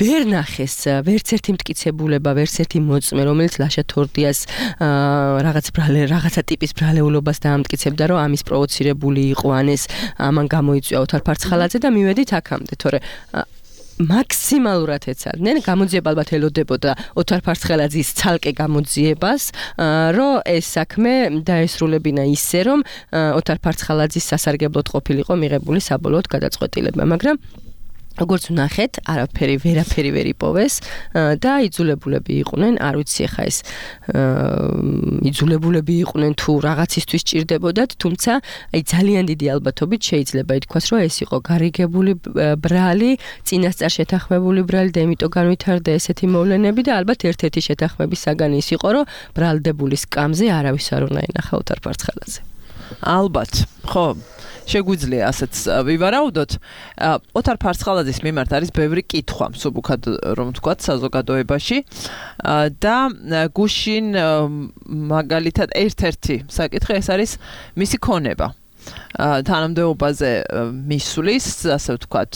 ვერ ნახეს ვერც ერთი მტკიცებულება, ვერც ერთი მოწმე, რომელიც ლაშა თორდიას რაღაცა ტიპის ბრალეულობას დაამტკიცებდა, რომ ამის პროვოცირებული იყო ან ეს ამან გამოიწვია ოთარ ფარცხალაძე და მივედით აქამდე, თორე მაქსიმალურად ეცადნენ, გამოძიება ალბათ ელოდებოდა ოთარ ფარცხალაძის ცალკე გამოძიებას, რომ ეს საქმე დაესრულებინა ისე, რომ ოთარ ფარცხალაძის სასარგებლოდ ყოფილიყო მიღებული საბოლოოდ გადაწყვეტილება, მაგრამ როგორც ვნახეთ, ვერაფერი ვერ იპოვეს და იძულებულები იყვნენ, არ ვიცი ხა ეს იძულებულები იყვნენ თუ რაღაცისთვის ჭირდებოდათ, თუმცა აი ძალიან დიდი ალბათობით შეიძლება ითქვას, რომ ეს იყო გარიგებული ბრალი, წინასწარ შეთანხმებული ბრალი და იმიტომ განვითარდა ესეთი მოვლენები და ალბათ ერთ-ერთი შეთანხმების საგანი ის იყო, რომ ბრალდებული სკამზე არავის არ უნდა ენახა ოთარ ფარცხალაძე. ალბათ, ხო. შეგვიძლია ასეც ვივარაუდოთ. ოთარ ფარცხალაძის მიმართ არის ბევრი კითხვა, მსუბუქად რომ ვთქვათ, საზოგადოებაში და გუშინ მაგალითად ერთ-ერთი საკითხი ეს არის მისი ქონება. თანამდებობაზე მისვლის, ასე ვთქვათ,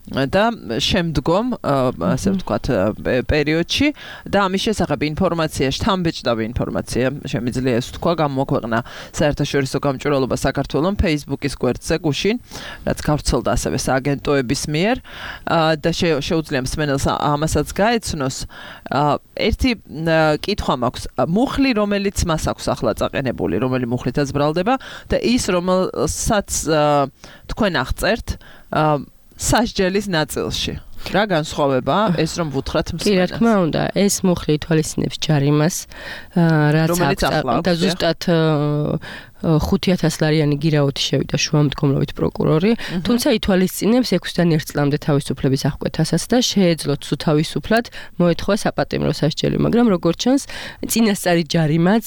და შემდგომ ასე ვთქვათ პერიოდში და ამის შესახებ ინფორმაცია, შთამბეჭდავი ინფორმაცია შემიძლია ეს თქვა გამოქვეყნა საერთაშორისო გამჭვირვალობა საქართველოს Facebook-ის გვერდზე გუშინ, რაც გავრცელდა ასევე სააგენტოების მიერ და შეუძლია მსმენელს ამასაც გაეცნოს. ერთი კითხვა მაქვს, მუხლი რომელიც მას აქვს ახლა წაყენებული, რომელი მუხლითაც ბრალდება და ის რომელსაც თქვენ აღწერთ სასჯელის ნაწილში. რა განსხვავება ეს რომ ვუთხრათ მსმენელს? კი, რა თქმა უნდა, ეს მუხლი ითვალისწინებს ჯარიმას, რაც აქვს და ზუსტად 5,000 ლარიანი გირაოთი შევიდა შუამდგომლობით პროკურორი, თუმცა ითვალისწინებს 6-დან 1 წლამდე თავისუფლების აღკვეთასაც და შეეძლოთ თუ თავისუფლად მოეთხოვა საპატიმრო სასჯელი, მაგრამ როგორც ჩანს, წინასწარი ჯარიმაც,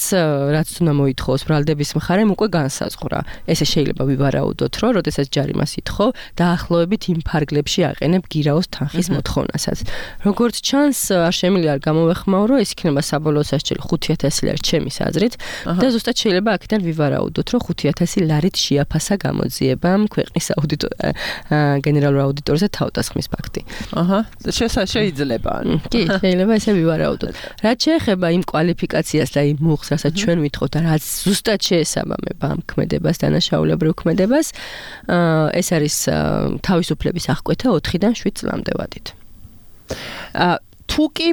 რაც უნდა მოითხოვოს ბრალდების მხარემ, უკვე განსაზღვრა. ესე შეიძლება ვივარაუდოთ, რომ როდესაც ჯარიმას ითხოვ, დაახლოებით იმ ფარგლებში აყენებ გირაოს თანხის მოთხოვნასაც. როგორც ჩანს, არ შემიძლია არ გამოვეხმაურო, ეს იქნება საბოლოო სასჯელი 5,000 ლარი ჩემის აზრით და ზუსტად შეიძლება აქედან ვივარაუდოთ, რომ 5,000 ლარით შეაფასა გამოძიებამ ქვეყნის გენერალურ აუდიტორზე თავდასხმის ფაქტი. შეიძლება. კი, შეიძლება ესე ვივარაუდოთ. რაც შეეხება იმ კვალიფიკაციას და იმ მუხლს, რასაც ჩვენ ვითხოვთ და რაც ზუსტად შეესაბამება ამ ქმედებას, დანაშაულებრივ ქმედებას, ეს არის თავისუფლების აღკვეთა 4-დან 7 წლამდე ვადით. თუ კი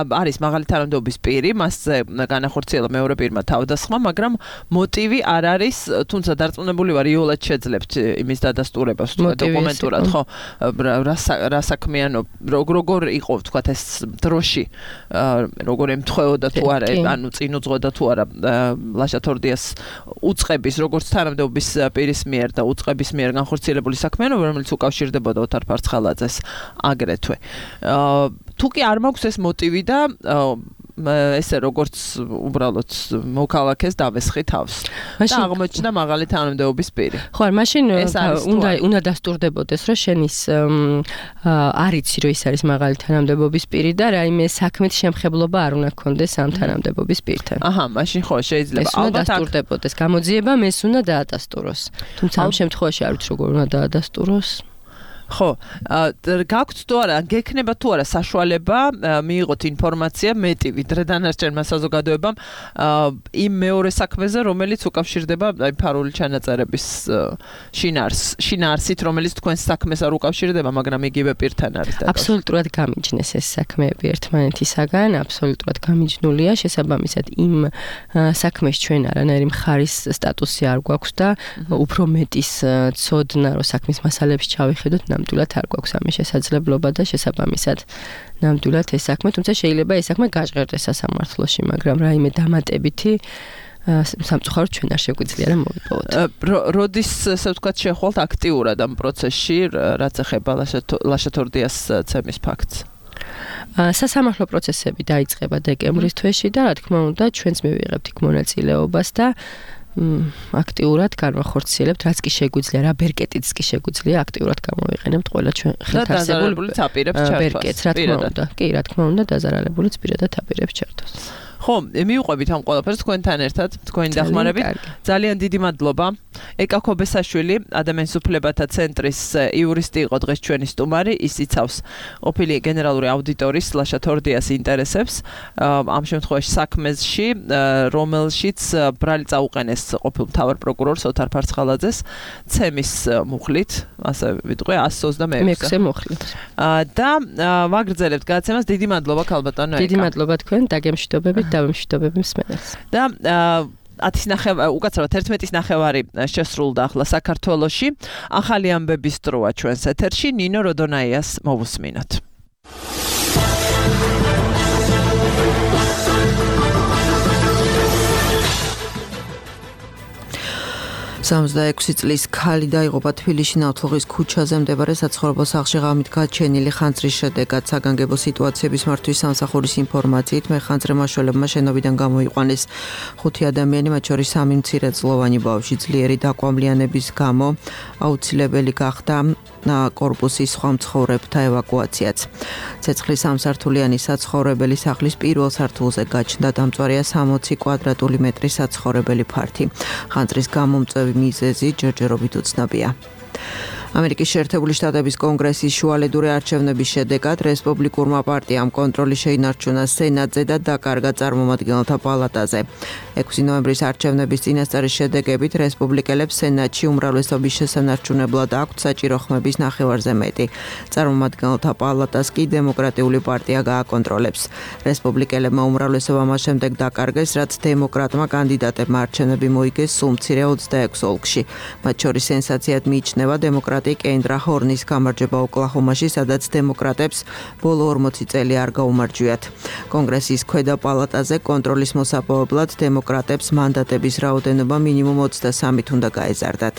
არის მაღალი თანამდებობის პირი, მასზე განახორციელა მეორე პირმა თავდასხმა, მაგრამ მოტივი არ არის, თუმცა დარწმუნებული ვარ, იოლად შეძლებთ იმის დადასტურებას, დოკუმენტურად, ხო, რა საქმიანო, როგორ იყო, ვთქვათ, ეს დროში, როგორ ემთხვეოდა თუ არა, ანუ წინ უძღვოდა თუ არა ლაშა თორდიას უწყების, როგორც თანამდებობის პირის მიერ და უწყების მიერ განხორციელებული საქმიანობა, რომელიც უკავშირდებოდა ოთარ ფარცხალაძეს აგრეთვე. თუ კი არ მაქვს ეს მოტივი და ესე როგორც უბრალოდ მოქალაქეს დავესხი თავს და აღმოჩნდა მაღალი თანამდებობის პირი. ხო, მაშინ უნდა დასტურდებოდეს, რომ შენ ის არიცი, რომ ის არის მაღალი თანამდებობის პირი და რაიმე საქმეთ შემხებლობა არ უნდა გქონდეს ამ თანამდებობის პირთან. მაშინ ხო, შეიძლება ალბათ დასტურდებოდეს გამოძიებამ, ეს უნდა დაადასტუროს. თუმცა ამ შემთხვევაში არ ვიცი როგორ უნდა დაადასტუროს. ხო, გაქვთ თუ არა, გექნება თუ არა საშუალება მიიღოთ ინფორმაცია მეტი ვიდრე დანარჩენმა საზოგადოებამ იმ მეორე საქმეზე, რომელიც უკავშირდება ფარული ჩანაწერების შინაარსით, რომელიც თქვენს საქმეს არ უკავშირდება, მაგრამ იგივე პირთან არის და აბსოლუტურად გამიჯნეს ეს საქმეები ერთმანეთისაგან, აბსოლუტურად გამიჯნულია, შესაბამისად იმ საქმეს ჩვენ არანაირი მხარის სტატუსი არ გვაქვს და უფრო მეტის ცოდნა, რომ საქმის მასალებში ჩავიხედოთ, ნამდვილად არ გვაქვს ამის შესაძლებლობა და შესაბამისად ნამდვილად ეს საქმე, თუმცა შეიძლება ეს საქმე გაჟღერდეს სასამართლოში, მაგრამ რაიმე დამატებითი სამწუხაროდ ჩვენ არ შეგვიძლია რა მოვიპოვოთ. როდის ესე ვთქვათ შეხვალთ აქტიურად ამ პროცესში, რაც ეხება ლაშა თორდიას ცემის ფაქტს? სასამართლო პროცესები დაიწყება დეკემბრის თვეში და რა თქმა უნდა ჩვენც მივიღებთ იქ მონაწილეობას და აქტიურად განვახორციელებთ, რაც კი შეგვიძლია, რა ბერკეტიც კი შეგვიძლია აქტიურად გამოვიყენებთ ყველა ჩვენ ხელთარსებულ ბერკეტს, რა თქმა უნდა. კი, რა თქმა უნდა, დაზარალებულიც პირადად აპირებს ჩართვას. ხო, მივყვებით ამ ყველაფერს თქვენთან ერთად, თქვენი დახმარებით. ძალიან დიდი მადლობა. ეკა ქობესაშვილი, ადამიანის უფლებათა ცენტრის იურისტი იყო დღეს ჩვენი სტუმარი, ის იცავს ყოფილი გენერალური აუდიტორის ლაშა თორდიას ინტერესებს ამ შემთხვევაში საქმეში, რომელშიც ბრალი წაუყენეს ყოფილ მთავარ პროკურორს ოთარ ფარცხალაძეს ცემის მუხლით, ასე ვიტყვი 126 მუხლით. და ვაგრძელებთ გადაცემას. დიდი მადლობა ქალბატონო ეკა. დიდი მადლობა თქვენ დაგემშვიდობებით და ვემშვიდობები მსმენელს. და 10:09 უკაცრავად 11:09 შესრულდა ახლა საქართველოში. ახალი ამბების დროა ჩვენს ეთერში. ნინო როდონაიას მოვუსმინოთ. 66 წლის ქალი დაიღუპა თბილისში ნავთლუღის ქუჩაზე მდებარე საცხოვრებელ სახლში ღამით გაჩენილი ხანძრის შედეგად. საგანგებო სიტუაციების მართვის სამსახურის ინფორმაციით მეხანძრე მაშველებმა შენობიდან გამოიყვანეს 5 ადამიანი, მათ შორის 3 მცირეწლოვანი ბავშვი. ძლიერი დაკვამლიანების გამო აუცილებელი გახდა კორპუსის სხვა მცხოვრებთა ევაკუაციაც. ცეცხლის სამსართულიანი საცხოვრებელი სახლის პირველ სართულზე გაჩნდა. დამწვარია 60 კვადრატული მეტრის საცხოვრებელი ფართი. ხანძრის გამომწვევი მიზეზი ჯერჯერობით უცნობია. ამერიკის შეერთებული შტატების კონგრესის შუალედური არჩევნების შედეგად რესპუბლიკურმა პარტიამ კონტროლი შეინარჩუნა სენატზე და დაკარგა წარმომადგენელთა პალატაზე. 6 ნოემბრის არჩევნების წინასწარის შედეგებით რესპუბლიკელებს სენატში უმრავლესობის შესანარჩუნებლად აქვთ საჭირო ხმების ნახევარზე მეტი. წარმომადგენელთა პალატას კი დემოკრატიული პარტია გააკონტროლებს. რესპუბლიკელებმა უმრავლესობა მას შემდეგ დაკარგეს, რაც დემოკრატმა კანდიდატებმა არჩევნები მოიგეს სულ მცირე 26 ოლქში. მათ შორის სენსაციად მიიჩნევა დემოკრატი კენდრა ჰორნის გამარჯვება ოკლაჰომაში, სადაც დემოკრატებს ბოლო 40 წელი არ გაუმარჯვიათ. კონგრესის ქვედა პალატაზე კონტროლის მოსაპოვებლად დემოკრატებს მანდატების რაოდენობა მინიმუმ 23-ით უნდა გაეზარდათ.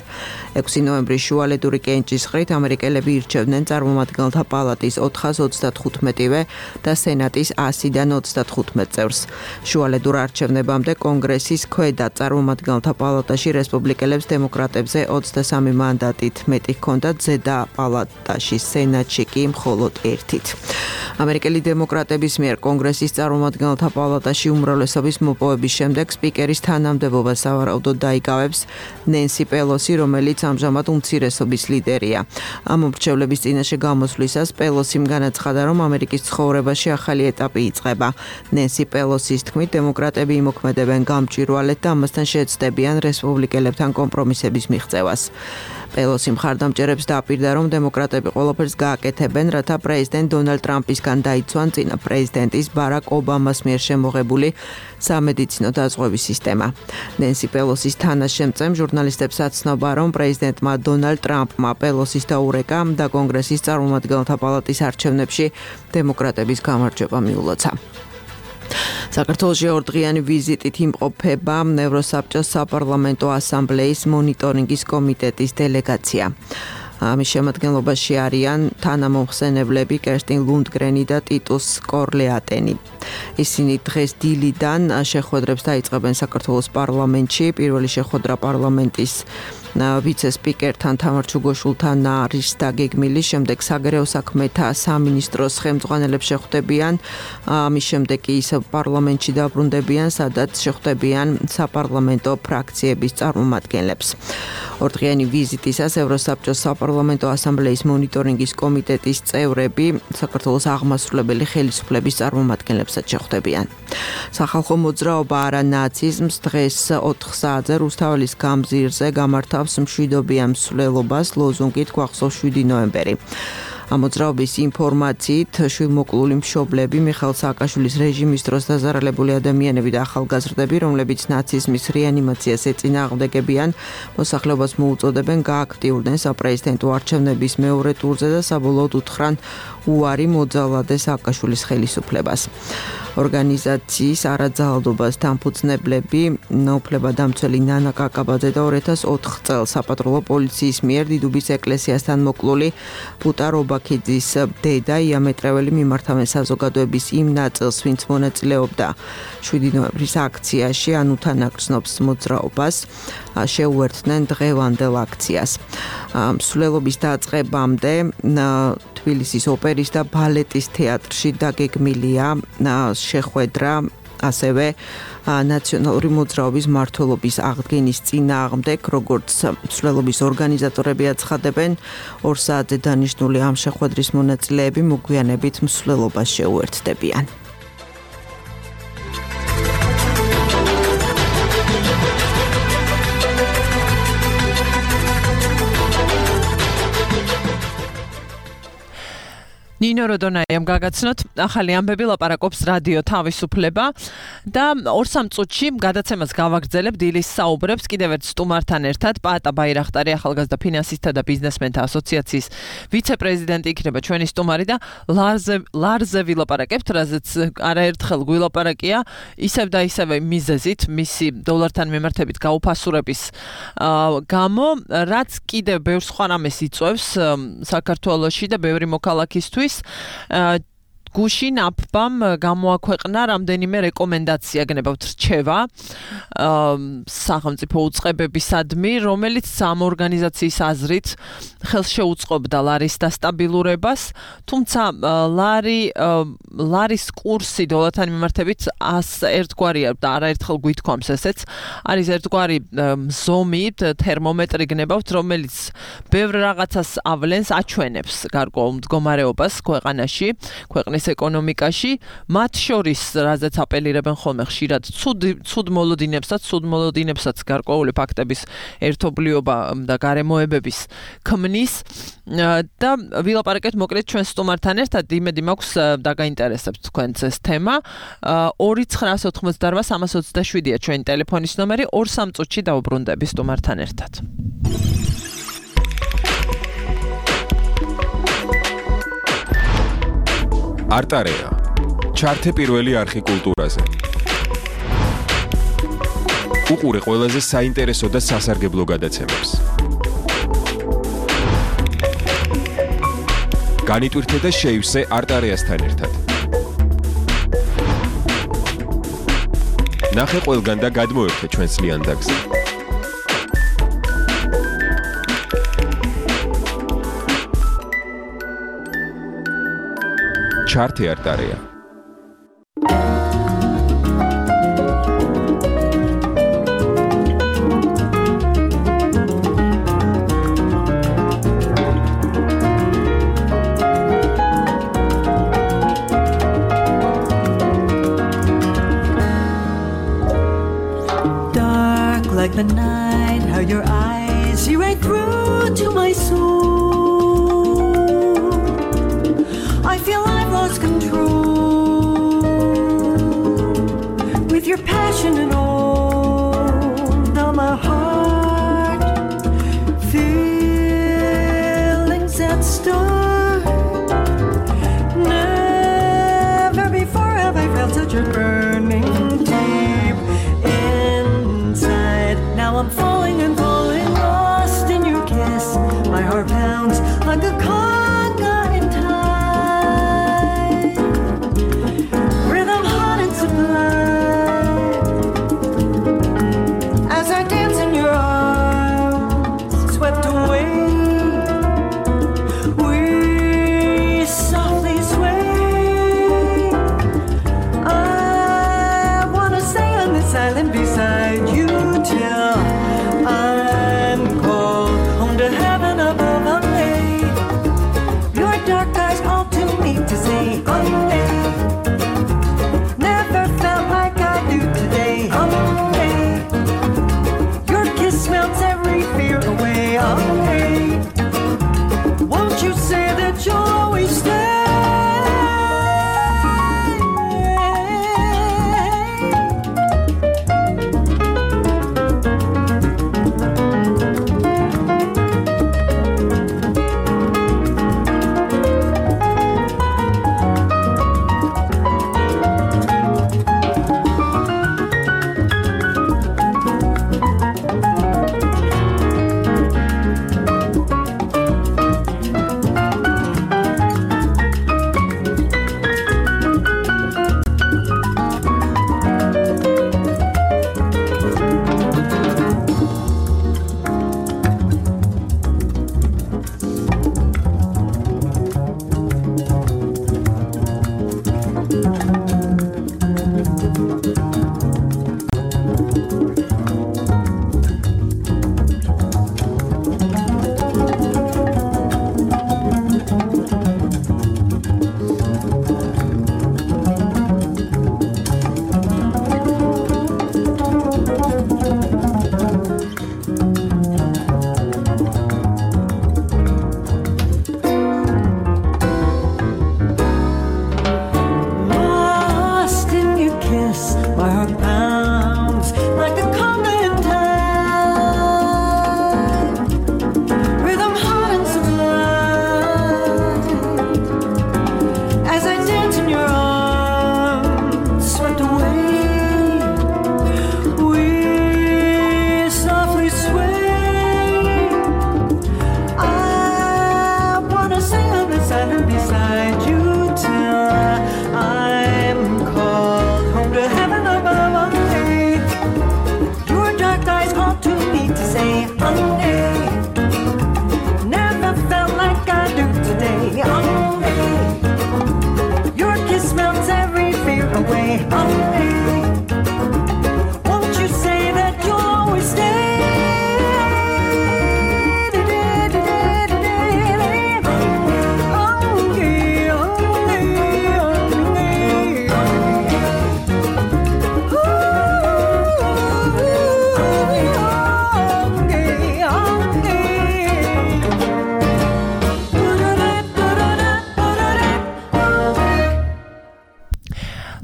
6 ნოემბრის შუალედური კენჭისყრით ამერიკელები ირჩევდნენ წარმომადგენელთა პალატის 435-ვე და სენატის 100-დან 35 წევრს. შუალედურ არჩევნებამდე კონგრესის ქვედა წარმომადგენელთა პალატაში რესპუბლიკელებს დემოკრატებზე 23 მანდატით მეტი ჰქონდათ, ზედა პალატაში სენატში კი მხოლოდ 1-ით. ამერიკელი დემოკრატების მიერ კონგრესის წარმომადგენელთა პალატაში უმრავლესობის მოპოვების შემდეგ სპიკერის თანამდებობას სავარაუდოდ დაიკავებს ნენსი პელოსი, რომელიც ამჟამად უმცირესობის ლიდერია. ამ მრჩევლების წინაშე გამოსვლისას პელოსიმ განაცხადა, რომ ამერიკის ცხოვრებაში ახალი ეტაპი იწყება. ნენსი პელოსის თქმით, დემოკრატები იმოქმედებენ გამჭვირვალედ და ამასთან შეეცდებიან რესპუბლიკელებთან კომპრომისების მიღწევას. პელოსი მხარდამჭერებს დააპირდა, რომ დემოკრატები ყველაფერს გააკეთებენ, რათა პრეზიდენტ დონალდ ტრამპისგან დაიცვან წინა პრეზიდენტის ბარაკ ობამას მიერ შემოღებული სამედიცინო დაზღვევის სისტემა. ნენსი პელოსის თანაშემწემ ჟურნალისტებს აცნობა, რომ პრეზიდენტმა დონალდ ტრამპმა პელოსის დაურეკა და კონგრესის წარმომადგენელთა პალატის არჩევნებში დემოკრატების გამარჯვება მიულოცა. საქართველოში ორდღიანი ვიზიტით იმყოფება ევროსაბჭოს საპარლამენტო ასამბლეის მონიტორინგის კომიტეტის დელეგაცია. ამის შემადგენლობაში არიან თანამომხსენებლები კერსტინ ლუნდგრენი და ტიტუს კორლეატენი. ისინი დღეს დილიდან შეხვედრებს დაიწყებენ საქართველოს პარლამენტში. პირველი შეხვედრა პარლამენტის ვიცე-სპიკერთან თამარ ჩუგოშვილთან არის დაგეგმილი, შემდეგ საგარეო საქმეთა სამინისტროს ხელმძღვანელებს შეხვდებიან, ამის შემდეგ კი პარლამენტში დაბრუნდებიან, სადაც შეხვდებიან საპარლამენტო ფრაქციების წარმომადგენლებს. ორდღიანი ვიზიტისას ევროსაბჭოს საპარლამენტო ასამბლეის მონიტორინგის კომიტეტის წევრები საქართველოს აღმასრულებელი ხელისუფლების წარმომადგენლებსაც შეხვდებიან. სახალხო მოძრაობა არა ნაციზმს დღეს 4 საათზე რუსთაველის გამზირზე გამართავს მშვიდობიან მსვლელობას ლოზუნგით გვახსოვს 7 ნოემბერი. ამ მოძრაობის ინფორმაციით შვილმოკლული მშობლები მიხეილ სააკაშვილის რეჟიმის დროს დაზარალებული ადამიანები და ახალგაზრდები, რომლებიც ნაციზმის რეანიმაციას ეწინააღმდეგებიან, მოსახლეობას მოუწოდებენ გააქტიურდნენ საპრეზიდენტო არჩევნების მეორე ტურზე და საბოლოოდ უთხრან უარი მოძალადე სააკაშვილის ხელისუფლებას. ორგანიზაციის არაძალადობას დამფუძნებლები უფლებადამცველი ნანა კაკაბაძე და 2004 წელს საპატრულო პოლიციის მიერ დიდუბის ეკლესიასთან მოკლული პუტა რობაქიძის დედა იამეტრეველი მიმართავენ საზოგადოების იმ ნაწილს, ვინც მონაწილეობდა 7 ნოემბრის აქციაში, ან უთანაგრძნობს მოძრაობას, შეუერთდნენ დღევანდელ აქციას. მსვლელობის დაწყებამდე თბილისის ოპერის და ბალეტის თეატრში დაგეგმილია შეხვედრა ასევე ნაციონალური მოძრაობის მმართველობის აღდგენის წინააღმდეგ, როგორც მსვლელობის ორგანიზატორები აცხადებენ, 2 საათზე დანიშნული ამ შეხვედრის მონაწილეები მოგვიანებით მსვლელობას შეუერთდებიან. ნინო როდონაიამ გაგაცნოთ ახალი ამბები ლაპარაკობს რადიო თავისუფლება და 2-3 წუთში გადაცემას გავაგრძელებთ დილის საუბრებს კიდევ ერთ სტუმართან ერთად პაატა ბაირახტარი ახალგაზრდა ფინანსისტთა და ბიზნესმენთა ასოციაციის ვიცე-პრეზიდენტი იქნება ჩვენი სტუმარი და ლარზე ვილაპარაკებთ, რაზეც არაერთხელ გვილაპარაკია ისევ და ისევ მიზეზით მისი დოლართან მიმართებით გაუფასურების გამო, რაც კიდევ ბევრ სხვა რამეს იწვევს საქართველოში და ბევრი მოქალაქისთვის გუში ნაფბამ გამოაქვეყნა რამდენიმე რეკომენდაცია, გნებავთ რჩევა სახელმწიფო უწყებებისადმი, რომელიც ამ ორგანიზაციის აზრით ხელს შეუწყობდა ლარის დასტაბილურებას, თუმცა ლარის კურსი დოლართან მიმართებით ერთგვარია და არაერთხელ გვითქვამს ესეც, არის ერთგვარი ზომი, თერმომეტრი გნებავთ, რომელიც ბევრ რაღაცას ავლენს, აჩვენებს გარკვეულ მდგომარეობას ქვეყანაში, ქვეყნის ეკონომიკაში, მათ შორის, რაზეც აპელირებენ ხოლმე ხშირად, ცუდ მოლოდინებსაც გარკვეული ფაქტების ერთობლიობა და გარემოებების ქმნის და ვილაპარაკეთ მოკლედ ჩვენ სტუმართან ერთად, იმედი მაქვს დაგაინტერესებთ თქვენც ეს თემა. 2-988-327-ია ჩვენი ტელეფონის ნომერი, 2-3 წუთში დავუბრუნდები სტუმართან ერთად. არტარეა. ჩართე პირველი არხი კულტურაზე. უყურე ყველაზე საინტერესო და სასარგებლო გადაცემებს. განიტვირთე და შეივსე არტარეასთან ერთად. ნახე ყველგან და გადმოერთე ჩვენს ლიანდაგზე. ჩართე არტარეა. Dark like the night, how your eyes see right through to my soul. I feel I've lost control with your passion and all. Now my heart feelings that start. Never before have I felt such a burning deep inside. Now I'm falling and falling, lost in your kiss. My heart pounds like a conga in time. Rhythm hot and sublime as I dance in your arms, swept away. We softly sway. I wanna stay on this island beside you till I'm called home to heaven above. Your dark eyes all to me to say, never felt like I do today. Your kiss melts every fear away. Won't you say that you'll always stay?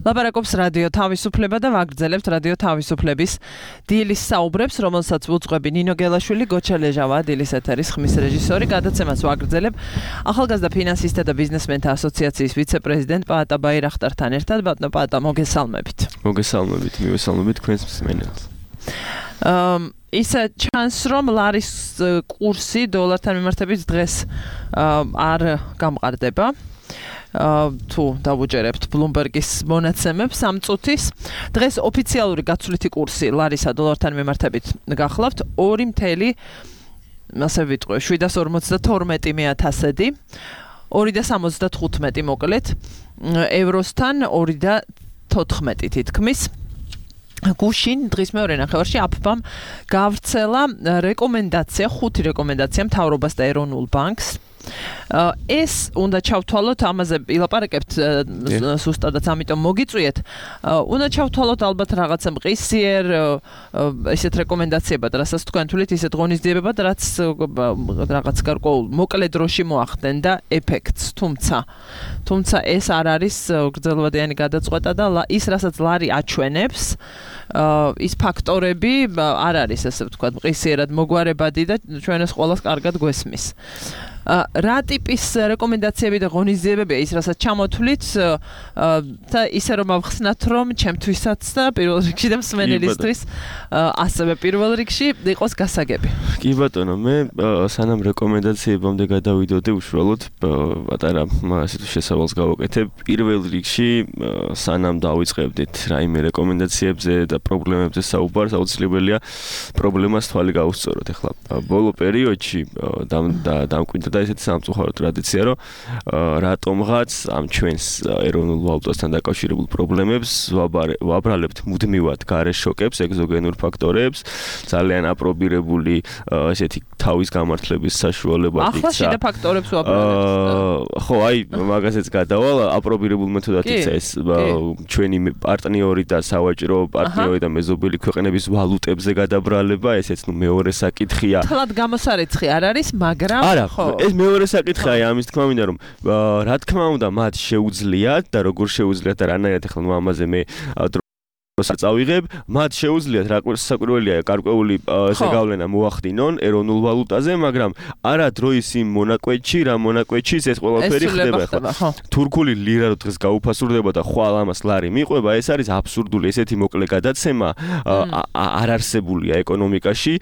ლაპარაკობს რადიო თავისუფლება და ვაგრძელებთ რადიო თავისუფლების დილის საუბრებს, რომელსაც უძღვები ნინო გელაშვილი, გოჩა ლეჟავა, დილის ეთერის ხმის რეჟისორი. გადაცემას ვაგრძელებ ახალგაზრდა ფინანსისტთა და ბიზნესმენთა ასოციაციის ვიცე-პრეზიდენტ პაატა ბაირახტართან ერთად. ბატონო პაატა, მოგესალმებით. მოგესალმებით, მივესალმებით თქვენს მსმენელს. Ისა ჩანს, რომ ლარის კურსი დოლართან მიმართებით დღეს არ გამყარდება. თუ დავუჯერებთ Bloomberg-ის მონაცემებს ამ წუთის, დღეს ოფიციალური გაცვლითი კურსი ლარისა დოლართან მიმართებით გახლავთ 2.752 $7.42 2.75 მოკლედ, ევროსთან 2.14 თითქმის. გუშინ დღის მეორე ნახევარში აფბამ გავრცელა რეკომენდაცია, 5 რეკომენდაცია მთავრობას და ეროვნულ ბანკს. ეს უნდა ჩავთვალოთ, ამაზე ილაპარაკებთ სუსტადაც, ამიტომ მოგიწვიეთ. უნდა ჩავთვალოთ ალბათ რაღაცა მყისიერ ესეთ რეკომენდაციებად, რასაც თქვენ თვლით, ისეთ ღონისძიებებად, რაც რაღაც გარკვეულ მოკლე დროში მოახდენ და ეფექტს, თუმცა ეს არ არის გრძელვადიანი გადაწყვეტა და ის, რასაც ლარი აჩვენებს, ის ფაქტორები არ არის, ასე ვთქვათ, მყისიერად მოგვარებადი და ჩვენს ყველას კარგად გვესმის. რა ტიპის რეკომენდაციები და ღონისძიებებია ის, რასაც ჩამოთვლით და ისე რომ ავხსნათ, რომ ჩემთვისაც და პირველ რიგში და მსმენელისთვის ასევე პირველ რიგში იყოს გასაგები. კი ბატონო, მე სანამ რეკომენდაციებამდე გადავიდოდი, უშუალოდ პატარა ასეთ შესავალს გავაკეთებ. პირველ რიგში სანამ დავიწყებდით რაიმე რეკომენდაციებზე და პრობლემებზე საუბარს, აუცილებელია პრობლემას თვალი გაუსწოროთ. ეხლა ბოლო პერიოდში დამკვიდრდა და ესეთი სამწუხარო ტრადიცია, რომ რატომღაც ამ ჩვენს ეროვნულ ვალუტასთან დაკავშირებულ პრობლემებს ვაბრალებთ მუდმივად გარე შოკებს, ეგზოგენურ ფაქტორებს, ძალიან აპრობირებული ესეთი თავის გამართლების საშუალებად იქცა. ახლა შიდა ფაქტორებს ვაბრალებთ. ხო, აი, მაგაზეც გადავალ, აპრობირებულ მეთოდად იქცა ეს ჩვენი პარტნიორი და სავაჭრო პარტნიორი და მეზობელი ქვეყნების ვალუტებზე გადაბრალება, ესეც მეორე საკითხია. თლად გამოსარიცხი არ არის, მაგრამ ხო ეს მეორე საკითხია, ამის თქმა მინდა რომ რა თქმა უნდა მათ შეუძლიათ და როგორ შეუძლიათ და რანაირად ახლა ამაზე მე წავიღებ, მათ შეუძლიათ საკვირველია გარკვეული ესე გავლენა მოახდინონ ეროვნულ ვალუტაზე, მაგრამ არა დროის იმ მონაკვეთში, რა მონაკვეთში ეს ყველაფერი ხდება. თურქული ლიրա რო დღეს გაუფასურდება და ხვალ ამას ლარი მიყვება, ეს არის აბსურდული, ესეთი მოკლე გადაცემა არ არსებულია ეკონომიკაში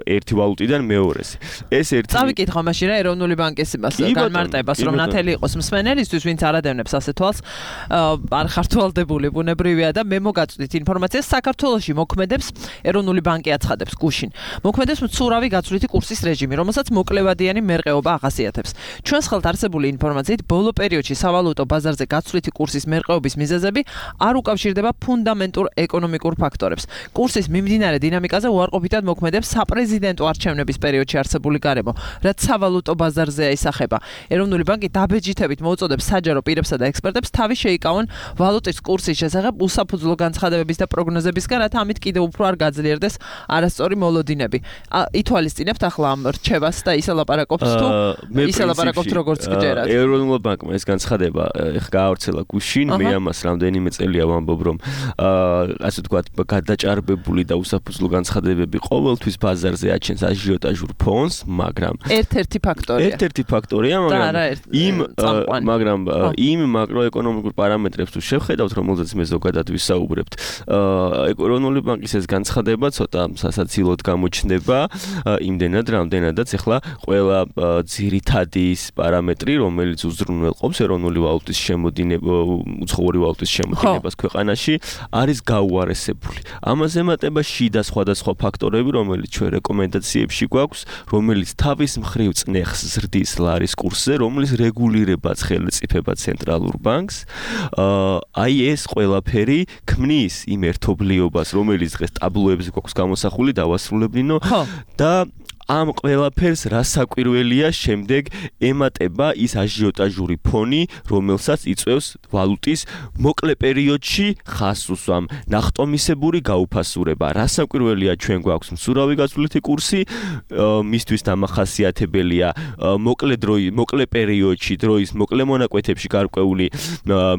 ერთი ვალუტიდან მეორეს. ეს ერთი წავიკითხო მაშინ რა ეროვნული ბანკის განმარტებას, რომ ნათელი იყოს მსმენელისთვის, ვინც არ ადევნებს ასე თვალს, არ ხართვალდებული ბუნებრივია და მე მოგაწვდით ინფორმაციას, საქართველოში მოქმედებს ეროვნული ბანკი აცხადებს გუშინ. მოქმედებს მცურავი გაცვლითი კურსის რეჟიმი, რომელსაც მოკლევადიანი მერყეობა ახასიათებს. ჩვენს ხელთ არსებული ინფორმაციით, ბოლო პერიოდში სავალუტო ბაზარზე გაცვლითი კურსის მერყეობის მიზეზები არ უკავშირდება ფუნდამენტურ ეკონომიკურ ფაქტორებს. კურსის მიმდინარე დინამიკაზე უარყოფითად მოქმედებს საპრეზიდენტო არჩევნების პერიოდში არსებული გარემო, რაც სავალუტო ბაზარზეა ისახება. ეროვნული ბანკი დაბეჯითებით მოუწოდებს საჯარო პირებსა და ექსპერტებს თავი შეიკავონ ვალუტის კურსის შესახებ უსაფუძვლო განცხადებების და პროგნოზებისგან, რათა ამით კიდევ უფრო არ გაძლიერდეს არასწორი მოლოდინები. ითვალისწინებთ ახლა ამ რჩევას და ისე ლაპარაკობს თუ ისე ლაპარაკობთ როგორც გჯერათ. ეროვნულ ბანკმა ეს განცხადება ეხლა გაავრცელა გუშინ, მე ამას რამდენიმე წელია ვამბობ, რომ ასე ვთქვათ, გადაჭარბებული და უსაფუძვლო განცხადებები qovelთვის ბაზარზე აჩენს აჟიოტაჟურ ფონს, მაგრამ ერთ-ერთი ფაქტორია, მაგრამ იმ მაკროეკონომიკურ პარამეტრებს თუ შევხედავთ, რომელზეც მე ზოგადად ვისაუბრებთ, ეროვნული ბანკის ეს განცხადება ცოტა სასაცილოდ გამოჩნდება იმდენად, რამდენადაც ახლა ყველა ძირითადი პარამეტრი, რომელიც უზრუნველყოფს ეროვნული ვალუტის შემოდინება, უცხოური ვალუტის შემოდინებას ქვეყანაში, არის გაუარესებული. ამას ემატება შიდა სხვადასხვა ფაქტორები, რომელიც ჩვენ რეკომენდაციებში გვაქვს, რომელიც თავის მხრივ წნეხს ზრდის ლარის კურსზე, რომლის რეგულირებაც ხელმწიფება ცენტრალურ ბანკს. აი ეს ყველაფერი ქმნის იმ ერთობლიობას, რომელიც დღეს ტაბლოებზე გვაქვს გამოსახული, დავასრულებინო და ამ ყველაფერს რასაკვირველია შემდეგ ემატება ის აჟიოტაჟური ფონი, რომელსაც იწვევს ვალუტის მოკლე პერიოდში ხასუსვამ, ნახტომისებური გაუფასურება. რასაკვირველია ჩვენ გვაქვს მსურავი გასვლითი კურსი, მისთვის დამახასიათებელია მოკლე პერიოდში დროის მოკლე მონაკვეთებში გარკვეული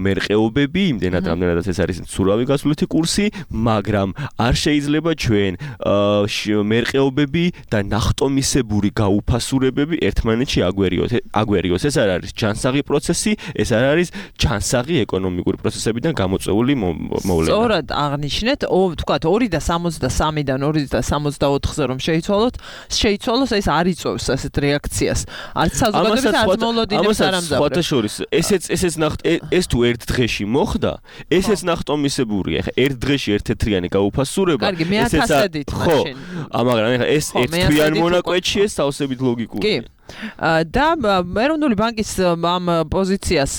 მერყეობები, იმდენად რამდენადაც ეს არის მსურავი გასვლითი კურსი, მაგრამ არ შეიძლება ჩვენ მერყეობები და ნახტომისებური გაუფასურებები ერთმანეთში აგვერიოს. ეს არ არის ჯანსაღი პროცესი, ეს არ არის ჯანსაღი ეკონომიკური პროცესებიდან გამოწვეული მოვლენა. სწორად აღნიშნეთ, თქვათ 2.63-დან 2.64-ზე რომ შეიცვალოს, ეს არ იწვევს ასეთ რეაქციას. არც საზოგადოებრივ არც მოლოდინებს არ ამზადებთ. სხვათა შორის, ეს თუ ერთ დღეში მოხდა, ესეც ნახტომისებურია. ხა ერთ დღეში ერთ-ერთიანი გაუფასურება, ესეც მაშინ. მაგრამ ეს ერთ თვიან მონაკვეთში ეს თავსებით ლოგიკურია. კი. და ეროვნული ბანკის ამ პოზიციას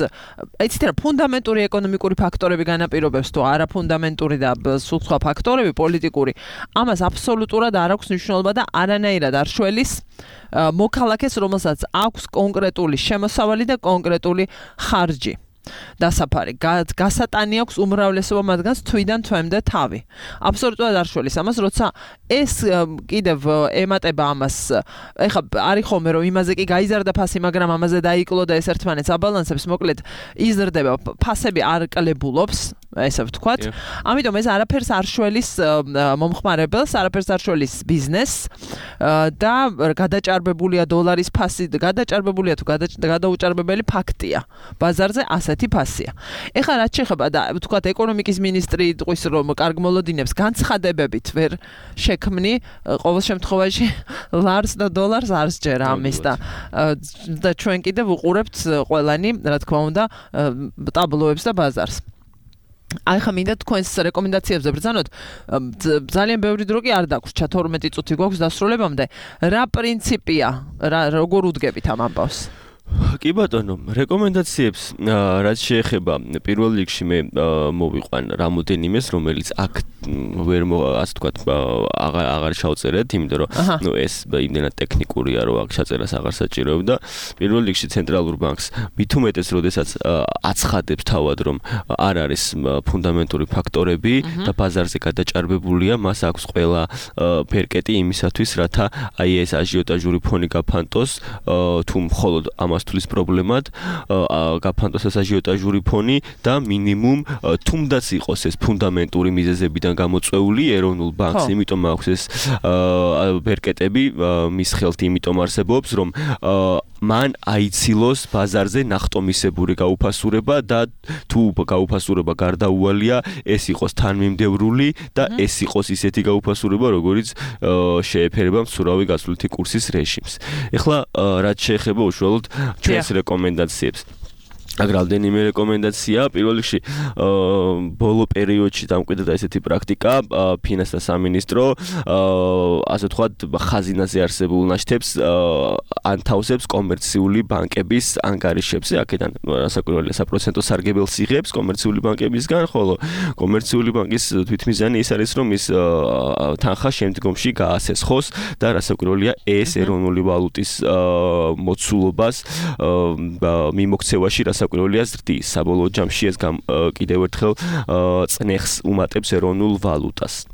ეცით რა ფუნდამენტური ეკონომიკური ფაქტორები განაპირობებს თუ არა ფუნდამენტური და სულ სხვა ფაქტორები პოლიტიკური ამას აბსოლუტურად არ აქვს მნიშვნელობა და არანაირად არ შველის მოქალაქეს რომელსაც აქვს კონკრეტული შემოსავალი და კონკრეტული ხარჯი დასაფარი გასატანი აქვს უმრავლესობა მათგანს თვიდან თვემდე თავი აბსოლუტურად არ შველის ამას როცა ეს კიდევ ემატება ამას ეხა არის ხოლმე რომ იმაზე კი გაიზარდა ფასი მაგრამ ამაზე დაიკლო და ეს ერთმანეთს აბალანსებს მოკლედ იზრდება ფასები არ კლებულობს ესე ვთქვათ ამიტომ ეს არაფერს არ შველის მომხმარებელს არაფერს არ შველის ბიზნესს და გადაჭარბებულია დოლარის ფასი გადაჭარბებულია თუ გადაუჭარბებელი ფაქტია ბაზარზე ასეთი ფასია. ეხლა რაც შეეხება და ვთქვათ ეკონომიკის მინისტრი იტყვის რომ კარგ მოლოდინებს განცხადებებით ვერ შექმნი ყოველ შემთხვევაში ლარს და დოლარს არ სჯერა ამის და ჩვენ კიდევ ვუყურებთ ყველანი რა თქმა უნდა ტაბლოებს და ბაზარს. აი ხა მინდა თქვენს რეკომენდაციებზე ბრძანოთ ძალიან ბევრი დრო კი არ დაგვრჩა 12 წუთი გვაქვს დასრულებამდე რა პრინციპია როგორ უდგებით ამ ამბავს კი ბატონო, რეკომენდაციებს რაც შეეხება პირველ რიგში მე მოვიყვან რამოდენიმეს, რომელიც აქ ვერ ასე ვთქვათ, აღარ შევწერეთ, იმიტომ რომ ნუ ეს იმდენად ტექნიკურია, რომ აქ ჩაწერას აღარ საჭიროებდა. პირველ რიგში ცენტრალურ ბანკს მით უმეტეს, როდესაც აცხადებს თავად, რომ არ არის ფუნდამენტური ფაქტორები და ბაზარზე გადაჭარბებულია, მას აქვს ყველა ფერკეტი იმისათვის, რათა აი ეს აჟიოტაჟური ფონი გაფანტოს, თუ მხოლოდ ამას თulis პრობლემად გაფანტოს ეს აჟიოტაჟური ფონი და მინიმუმ თუნდაც იყოს ეს ფუნდამენტური მიზეზებიდან გამოწვეული ეროვნულ ბანკს, იმიტომ აქვს ეს ბერკეტები მის ხელთ იმიტომ არსებობს, რომ მან აიცილოს ბაზარზე ნახტომისებური გაუფასურება და თუ გაუფასურება გარდაუვალია, ეს იყოს თანმიმდევრული და ეს იყოს ისეთი გაუფასურება, როგორიც შეეფერება მსურავი გასვლითი კურსის რეჟიმს. ეხლა რაც შეეხება უშუალოდ ჩვენს რეკომენდაციებს. აგრალდენიმე რეკომენდაცია პირველ რიგში ბოლო პერიოდში დამკვიდრდა ესეთი პრაქტიკა ფინანსთა სამინისტრო ასე ვთქვათ ხაზინაზე არსებულ ნაშთებს ანთავსებს კომერციული ბანკების ანგარიშებზე აქედან რასაკვირველია საპროცენტო სარგებელს იღებს კომერციული ბანკებისგან ხოლო კომერციული ბანკის თვითმიზანი ის არის რომ ის თანხა შემდგომში გაასესხოს და რასაკვირველია ეს ეროვნული ვალუტის მოცულობას მიმოქცევაში საკურველია ზრდის საბოლოო ჯამში ეს კიდევ ერთხელ წნეხს უმატებს ეროვნულ ვალუტას.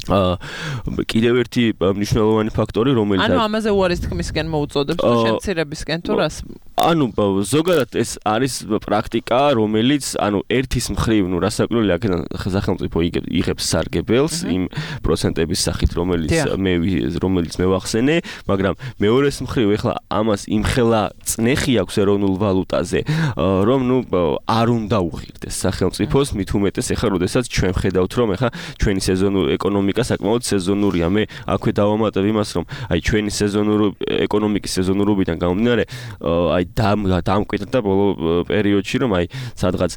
კიდევ ერთი მნიშვნელოვანი ფაქტორი რომელიც ანუ ამაზე უარის თქმისკენ მოუწოდებს თუ შემცირებისკენ თუ რას ანუ ზოგადად ეს არის პრაქტიკა რომელიც ანუ ერთის მხრივ ნუ რასაკვირველია აქედან სახელმწიფო იღებს სარგებელს იმ პროცენტების სახით რომელიც მე ვახსენე მაგრამ მეორეს მხრივ ეხლა ამას იმხელა წნეხი აქვს ეროვნულ ვალუტაზე რომ ნუ არ უნდა უღირდეს სახელმწიფოს მით უმეტეს ეხლა როდესაც ჩვენ ხედავთ რომ ეხლა ჩვენი სეზონური ეკონომიკა საკმაოდ სეზონურია მე აქვე დავამატებ იმას რომ აი ჩვენი ეკონომიკის სეზონურობიდან გამომდინარე აი დამკვიდრდა ბოლო პერიოდში, რომ აი სადღაც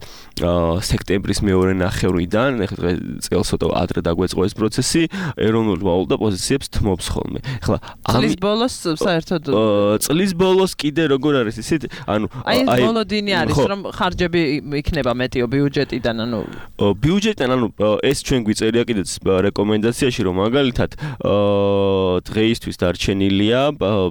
სექტემბრის მეორე ნახევრიდან, ეხლა წელს ცოტა ადრე დაგვეწყო ეს პროცესი, ეროვნული ვალუტა პოზიციებს თმობს ხოლმე. ეხლა წლის ბოლოს საერთოდ წლის ბოლოს კიდე როგორ არის ისეთ, ანუ აი მოლოდინი არის, რომ ხარჯები იქნება მეტიო ბიუჯეტიდან, ანუ ბიუჯეტიდან, ანუ ეს ჩვენ გვიწერია კიდეც რეკომენდაციაში, რომ მაგალითად დღეისთვის დარჩენილია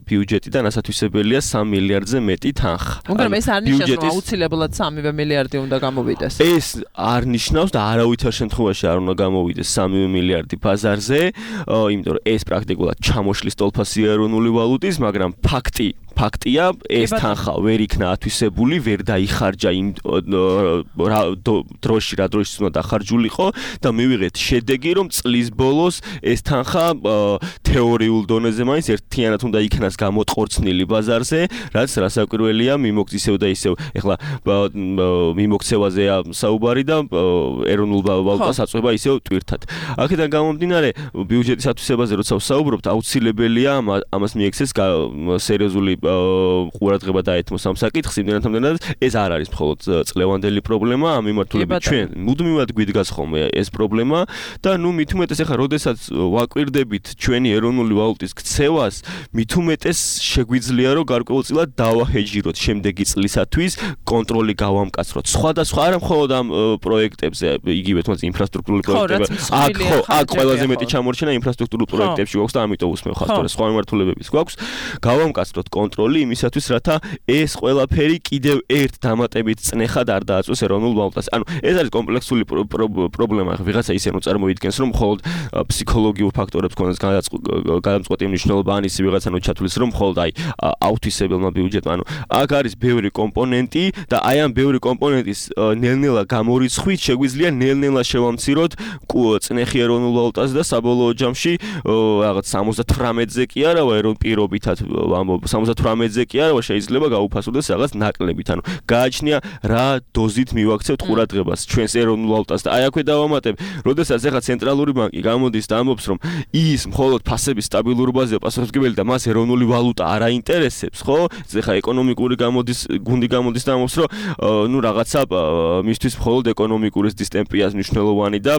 ბიუჯეტიდან ასათვისებელია 3 მილიარდზე მეტი თანხა. მაგრამ ეს არ ნიშნავს, რომ აუცილებლად 3 მილიარდი უნდა გამოვიდეს. ეს არ ნიშნავს და არავითარ შემთხვევაში არ უნდა გამოვიდეს 3 მილიარდი ბაზარზე, იმიტომ რომ ეს პრაქტიკულად ჩამოშლის ტოლფასი ეროვნული ვალუტის, მაგრამ ფაქტია, ეს თანხა ვერ იქნა ათვისებული, ვერ დაიხარჯა იმ დროში, რა დროშიც უნდა დახარჯულიყო და მივიღეთ შედეგი, რომ წლის ბოლოს ეს თანხა თეორიულ დონეზე მაინც ერთიანად უნდა იქნას გამოტყორცნილი ბაზარზე, რაც რასაკვირველია, ისევ და ისევ, ეხლა მიმოქცევაზეა საუბარი და ეროვნულ ვალუტას აწვება ისევ ტვირთად. აქედან გამომდინარე, ბიუჯეტის ათვისებაზე როცა ვსაუბრობთ, აუცილებელია ამას მიექცეს სერიოზული ყურადღება დაეთმოს ამ საკითხს, იმდენად ეს არ არის მხოლოდ წლევანდელი პრობლემა, ამ მიმართულებით ჩვენ მუდმივად გვიდგას ხოლმე ეს პრობლემა და ნუ მით უმეტეს ახლა როდესაც ვაკვირდებით ჩვენი ეროვნული ვალუტის ქცევას, მით უმეტეს შეგვიძლია რომ გარკვეულწილად დავაჰეჯიროთ შემდეგი წლისათვის, კონტროლი გავამკაცროთ. სხვადასხვა არა მხოლოდ ამ პროექტებზე, იგივე თუნდაც ინფრასტრუქტურული პროექტები, აქ ყველაზე მეტი ჩამორჩენა ინფრასტრუქტურულ პროექტებში გვაქვს და ამიტომ უსმევ ხასტორეს სხვა მიმართულებების გვაქვს. გავამკაცროთ კონტროლი იმისათვის, რათა ეს ყველაფერი კიდევ ერთ დამატებით წნეხად არ დააწვეს ეროვნულ ვალუტას. ანუ ეს არის კომპლექსური პრობლემა. ვიღაცა ისე რომ წარმოიდგენს, რომ მხოლოდ ფსიქოლოგიურ ფაქტორებს ქონდეს გადამწყვეტი მნიშვნელობა, ან ისე ვიღაცა რომ ჩათვლის, რომ მხოლოდ აი აუთვისებელმა ბიუჯეტმა. ანუ აქ არის ბევრი კომპონენტი და აი ამ ბევრი კომპონენტის ნელ-ნელა გამორიცხვით შეგვიძლია ნელ-ნელა შევამციროთ წნეხი ეროვნულ ვალუტას და საბოლოო ჯამში რაღაც 78-ზე კი არავა პირობითად 78-ზე კი არავა შეიძლება გაუფასოდეს რაღაც ნაკლებით. ანუ გააჩნია რა დოზით მივაქცევთ ყურადღებას ჩვენს ეროვნულ ვალუტას და აი აქვე დავამატებ, როდესაც ახლა ценტრალური ბანკი გამოდის და ამბობს, რომ ის მხოლოდ ფასების სტაბილურ ბაზაზე პასუხისმგებელი და მას ეროვნული ვალუტა არ აინტერესებს, ხო? ეხლა ეკონომიკური გუნდი გამოდის და ამბობს, რომ ნუ რაღაცა მისთვის მხოლოდ ეკონომიკური დისტემპიას მნიშვნელოვანი და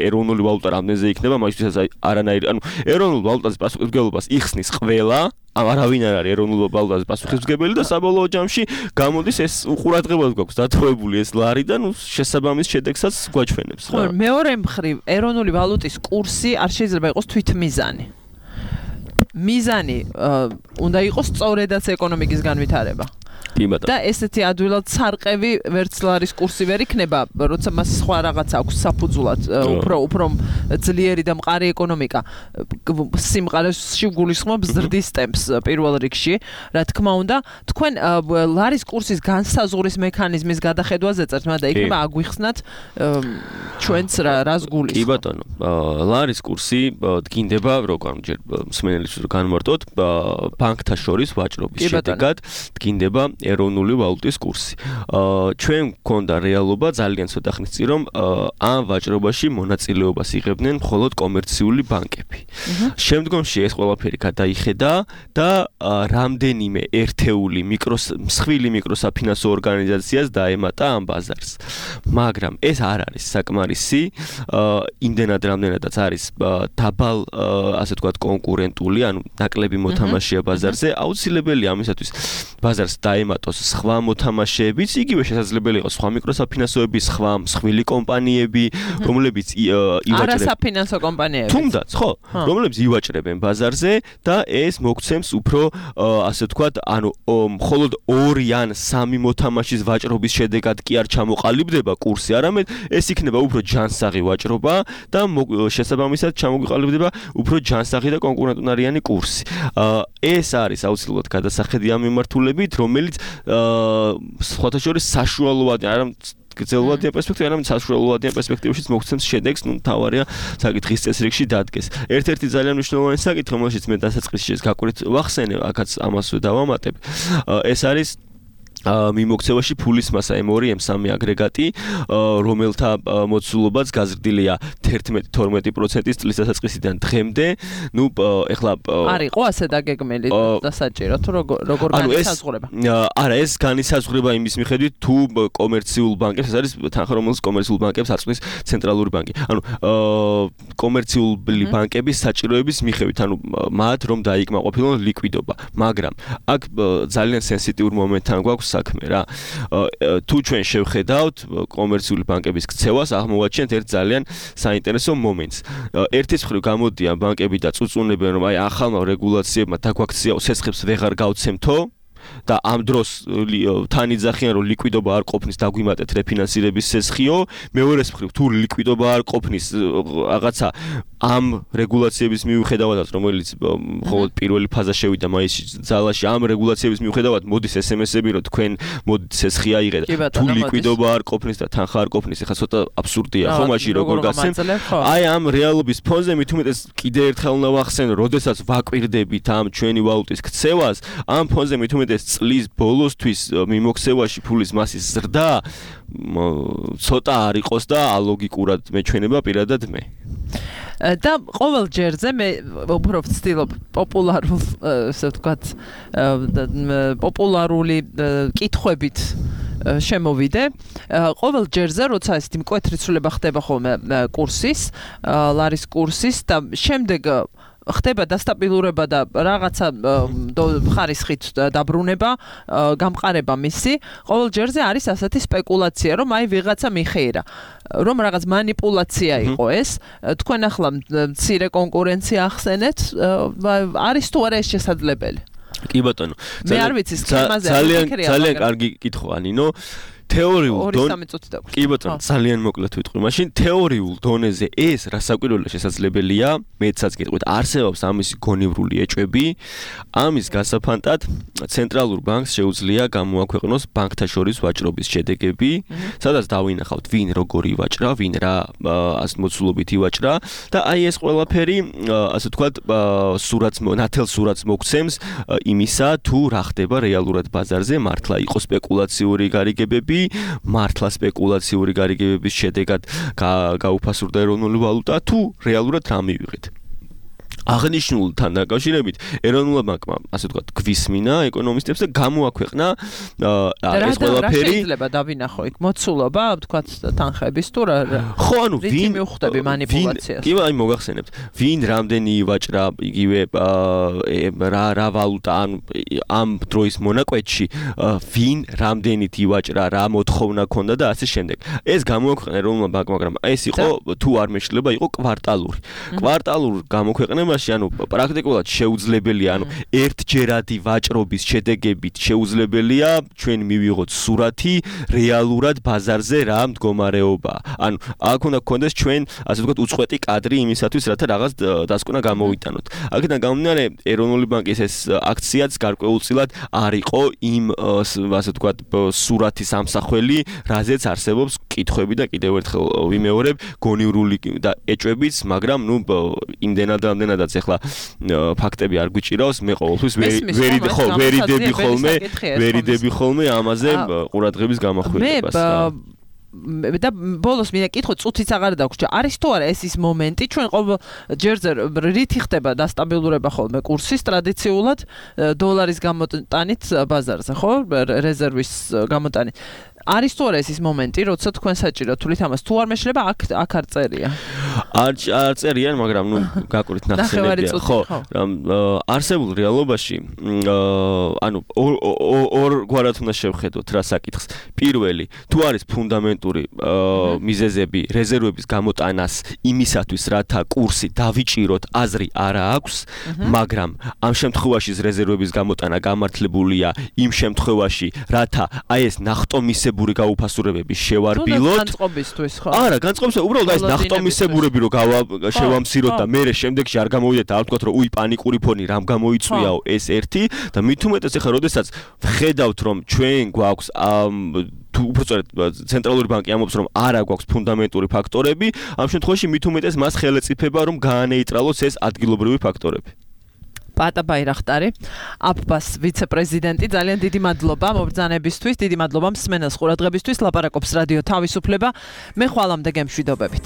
ეროვნული ვალუტა რამდენზე იქნება, მაგისთვისაც არანაირი, ანუ ეროვნულ ვალუტაზე პასუხისმგებლობას იხსნის ყველა, არავინ არ არის ეროვნულ ვალუტაზე პასუხისმგებელი და საბოლოო ჯამში გამოდის ეს უყურადღებად გვაქვს დათხოვებული ეს ლარი და ნუ შესაბამის შედეგსაც გვაჩვენებს. ხო, მეორე მხრივ ეროვნული ვალუტის კურსი არ შეიძლება იყოს თვითმიზანი. მიზანი უნდა იყოს სწორედაც ეკონომიკის განვითარება. და ესეთი ადვილად სარყევი ვერცლარის კურსი ვერ იქნება, როცა მას სხვა რაღაც აქვს საფუძვლად, უფრო ძლიერი და მყარი ეკონომიკა სიმყარეში გულისხმობს ზრდის ტემპს პირველ რიგში. რა თქმა უნდა, თქვენ ლარის კურსის განსაზღვრის მექანიზმის გადახედვაზე წერთ, მაგრამ იქნება აგვიხსნათ ჩვენც რას გულისხმობთ. კი ბატონო, ლარის კურსი დგინდება, როგორ ჯერ მსმენელს განმარტოთ, ბანკთა შორის ვაჭრობის შედეგად დგინდება ეროვნული ვალუტის კურსი. ჩვენ გვქონდა რეალობა ძალიან ცოტა ხნის წინ, რომ ამ ვაჭრობაში მონაწილეობას იღებდნენ მხოლოდ კომერციული ბანკები. შემდგომში ეს ყველაფერი გადაიხედა და რამდენიმე ერთეული მსხვილი მიკროსაფინანსო ორგანიზაციას დაემატა ამ ბაზარს. მაგრამ ეს არ არის საკმარისი, იმდენად რამდენადაც არის დაბალ, ასე ვთქვათ, კონკურენტული, ანუ ნაკლები მოთამაშეა ბაზარზე, აუცილებელია ამისათვის ბაზარს დაემატოს სხვა მოთამაშეებიც, იგივე შესაძლებელი იყოს სხვა მიკროსაფინანსოები, სხვა მსხვილი კომპანიები, რომლებიც ივაჭრებენ. არასაფინანსო კომპანიები. თუნდაც, ხო, რომლებიც ივაჭრებენ ბაზარზე და ეს მოგცემს უფრო, ასე ვთქვათ, ანუ მხოლოდ 2 ან 3 მოთამაშის ვაჭრობის შედეგად კი არ ჩამოყალიბდება კურსი, არამედ ეს იქნება უფრო ჯანსაღი ვაჭრობა და შესაბამისად ჩამოყალიბდება უფრო ჯანსაღი და კონკურენტუნარიანი კურსი. ეს არის აუცილებლად გადასახედი ამ მიმართულებით, რომელიც სხვათა შორის საშუალოა, არა გრძელვადიან პერსპექტივაში, არამედ საშუალოადიან პერსპექტივაშიც მოგცემს შედეგს, ნუ თავარია საკითხის წესრიგში დადგეს. ერთ-ერთი ძალიან მნიშვნელოვანი საკითხი, რომელშიც მე დასაწყისში გაკვირით ვახსენე, აქაც ამას დავამატებ, ეს არის მიმოქცევაში ფულის მასა M2 M3 აგრეგატი, რომელთა მოცულობაც გაზრდილია 11-12% წლის დასაწყისიდან დღემდე. ნუ ეხლა არ იყო ასე დაგეგმილი და საჭირო თუ როგორ განისაზღვრება? არა, ეს განისაზღვრება იმის მიხედვით თუ კომერციულ ბანკებს, ეს არის თანხა რომელიც კომერციულ ბანკებს აწვის ცენტრალური ბანკი. ანუ კომერციული ბანკების საჭიროების მიხედვით, ანუ მათ რომ დაიკმაყოფილონ ლიკვიდობა, მაგრამ აქ ძალიან სენსიტიურ მომენტთან გვაქვს საქმე რა. თუ ჩვენ შევხედავთ კომერციული ბანკების ქცევას, აღმოვაჩენთ ერთ ძალიან საინტერესო მომენტს. ერთის მხრივ გამოდიან ბანკები და წუწუნებენ, რომ აი ახალმა რეგულაციებმა დაგვაქცია სესხებს ვეღარ გავცემთო და ამ დროს თან იძახიან რომ ლიკვიდობა არ ყოფნის დაგვიმატეთ რეფინანსირების სესხიო, მეორეს მხრივ თუ ლიკვიდობა არ ყოფნის რაღაცა ამ რეგულაციების მიუხედავად, რომელიც მხოლოდ პირველი ფაზა შევიდა მაისში ძალაში, ამ რეგულაციების მიუხედავად მოდის SMS-ები, რომ თქვენ მოდით სესხი აიღეთ. თუ ლიკვიდობა არ ყოფნის და თანხა არ ყოფნის, ეხლა ცოტა აბსურდია, ხო, მაშინ როგორ გასცემ? აი ამ რეალობის ფონზე მით უმეტეს კიდე ერთხელ უნდა ვახსენო, როდესაც ვაკვირდებით ამ ჩვენი ვალუტის ქცევას, ამ ფონზე მით უმეტეს წლის ბოლოსთვის მიმოქცევაში ფულის მასის ზრდა ცოტა არ იყოს და ალოგიკურად მეჩვენება პირადად მე. და ყოველ ჯერზე მე უფრო ვცდილობ პოპულარულ, ასე ვთქვათ, პოპულარული კითხვებით შემოვიდე. ყოველ ჯერზე, როცა ესეთი მკვეთრი ცვლილება ხდება ხოლმე კურსის, ლარის კურსის და შემდეგ ხდება დასტაბილურება და რაღაცა ხარისხით დაბრუნება, გამყარება მისი, ყოველ ჯერზე არის ასეთი სპეკულაცია, რომ აი ვიღაცა მიხეირა, რომ რაღაც манипуляция იყო ეს. თქვენ ახლა მცირე კონკურენცია ახსენეთ, არის თუ არა ეს შესაძლებელი? კი ბატონო. მე არ ვიცი სქემაზე ძალიან კარგი კითხვაა, ნინო. თეორიულ დონეზე კი ბატონო, ძალიან მოკლედ ვიტყვი. მაშინ თეორიულ დონეზე ეს რასაკვირველია შესაძლებელია, მეცაც გეტყვით, არსებობს ამისი გონივრული ეჭვები. ამის გასაფანტად ცენტრალურ ბანკს შეუძლია გამოაქვეყნოს ბანკთა შორის ვაჭრობის შედეგები, სადაც დავინახავთ ვინ როგორი ვაჭრა, ვინ რა მოცულობით ივაჭრა და აი ეს ყველაფერი, ასე ვთქვათ, ნათელ სურათს მოგცემს იმისა, თუ რა ხდება რეალურად ბაზარზე, მართლა იყო სპეკულაციური გარიგებები, მართლა სპეკულაციური გარიგებების შედეგად გაუფასურდა ეროვნული ვალუტა, თუ რეალურად რა მივიღეთ. აღნიშნულთან დაკავშირებით ეროვნულ ბანკმა, ასე ვთქვათ, გვისმინა ეკონომისტებს და გამოაქვეყნა ეს ყველაფერი. რა შეიძლება დავინახო იქ მოცულობა, ვთქვათ, თანხების თუ რა? ხო, ანუ ვინ მივხვდები манипуляციას? კი, აი მოგახსენებთ, ვინ რამდენი ივაჭრა, იგივე რა ვალუტა, ანუ ამ დროის მონაკვეთში ვინ რამდენით ივაჭრა, რა მოთხოვნა ქონდა და ასე შემდეგ. ეს გამოაქვეყნა ეროვნულ ბანკმა, მაგრამ ეს იყო თუ არ მეშლება, იყო კვარტალური. კვარტალურ გამოქვეყნება ანუ პრაქტიკულად შეუძლებელია, ანუ ერთჯერადი ვაჭრობის შედეგებით შეუძლებელია ჩვენ მივიღოთ სურათი რეალურად ბაზარზე რა მდგომარეობა. ანუ აქ უნდა გქონდეს ჩვენ, ასე ვთქვათ, უწყვეტი კადრი იმისათვის, რათა რაღაც დასკვნა გამოვიტანოთ. აქედან გამომდინარე, ეროვნული ბანკის ეს აქციაც გარკვეულწილად არ იყო იმ, ასე ვთქვათ, სურათის ამსახველი, რაზეც არსებობს კითხვები და კიდევ ერთხელ ვიმეორებ, გონივრული და ეჭვებიც, მაგრამ ნუ იმდენადაც ეხლა ფაქტები არ გვიჭირავს, მე ყოველთვის ვერიდები ხოლმე ამაზე ყურადღების გამახვილებას. და ბოლოს მინდა კითხო, წუთიც აღარ დაგვრჩა. არის თუ არა ეს ის მომენტი, ჩვენ ყოველ ჯერზე რითი ხდება დასტაბილურება ხოლმე კურსის ტრადიციულად დოლარის გამოტანით ბაზარზე, ხო? რეზერვის გამოტანით. არის თუ არა ეს ის მომენტი, როცა თქვენ საჭირო თulit ამას თუ არ მეშლება, აქ არ წერია. არ წერიან, მაგრამ ნუ გაკვირით ნახსენებია, ხო? არსებულ რეალობაში, ანუ ორ გვარად უნდა შევხედოთ რა საკითხს. პირველი, თუ არის ფუნდამენტური მიზეზები რეზერვების გამოტანას იმისათვის, რათა კურსი დავიჭიროთ, აზრი არა აქვს, მაგრამ ამ შემთხვევაში რეზერვების გამოტანა გამართლებულია იმ შემთხვევაში, რათა აი ეს ნახტომისებური გაუფასურებები შევარბილოთ. განწყობისთვის, ხო? არა, განწყობისა, უბრალოდ აი ეს ნახტომისებურები რომ შევამციროთ და მერე შემდეგში არ გამოვიდეთ და არ ვთქვათ, რომ უი პანიკური ფონი რამ გამოიწვიაო, ეს ერთი და მით უმეტეს ახლა როდესაც ვხედავთ, რომ ჩვენ გვაქვს თუ უბრალოდ ცენტრალური ბანკი ამბობს, რომ არა გვაქვს ფუნდამენტური ფაქტორები, ამ შემთხვევაში მით უმეტეს მას ხელეწიფება, რომ გაანეიტრალოს ეს ადგილობრივი ფაქტორები. პატა ბაირახტარი, აფბას ვიცე-პრეზიდენტი, ძალიან დიდი მადლობა მობრძანებისთვის, დიდი მადლობა მსმენელს ყურადღებისთვის, ლაპარაკობს რადიო თავისუფლება. მე ხვალამდე გემშვიდობებით.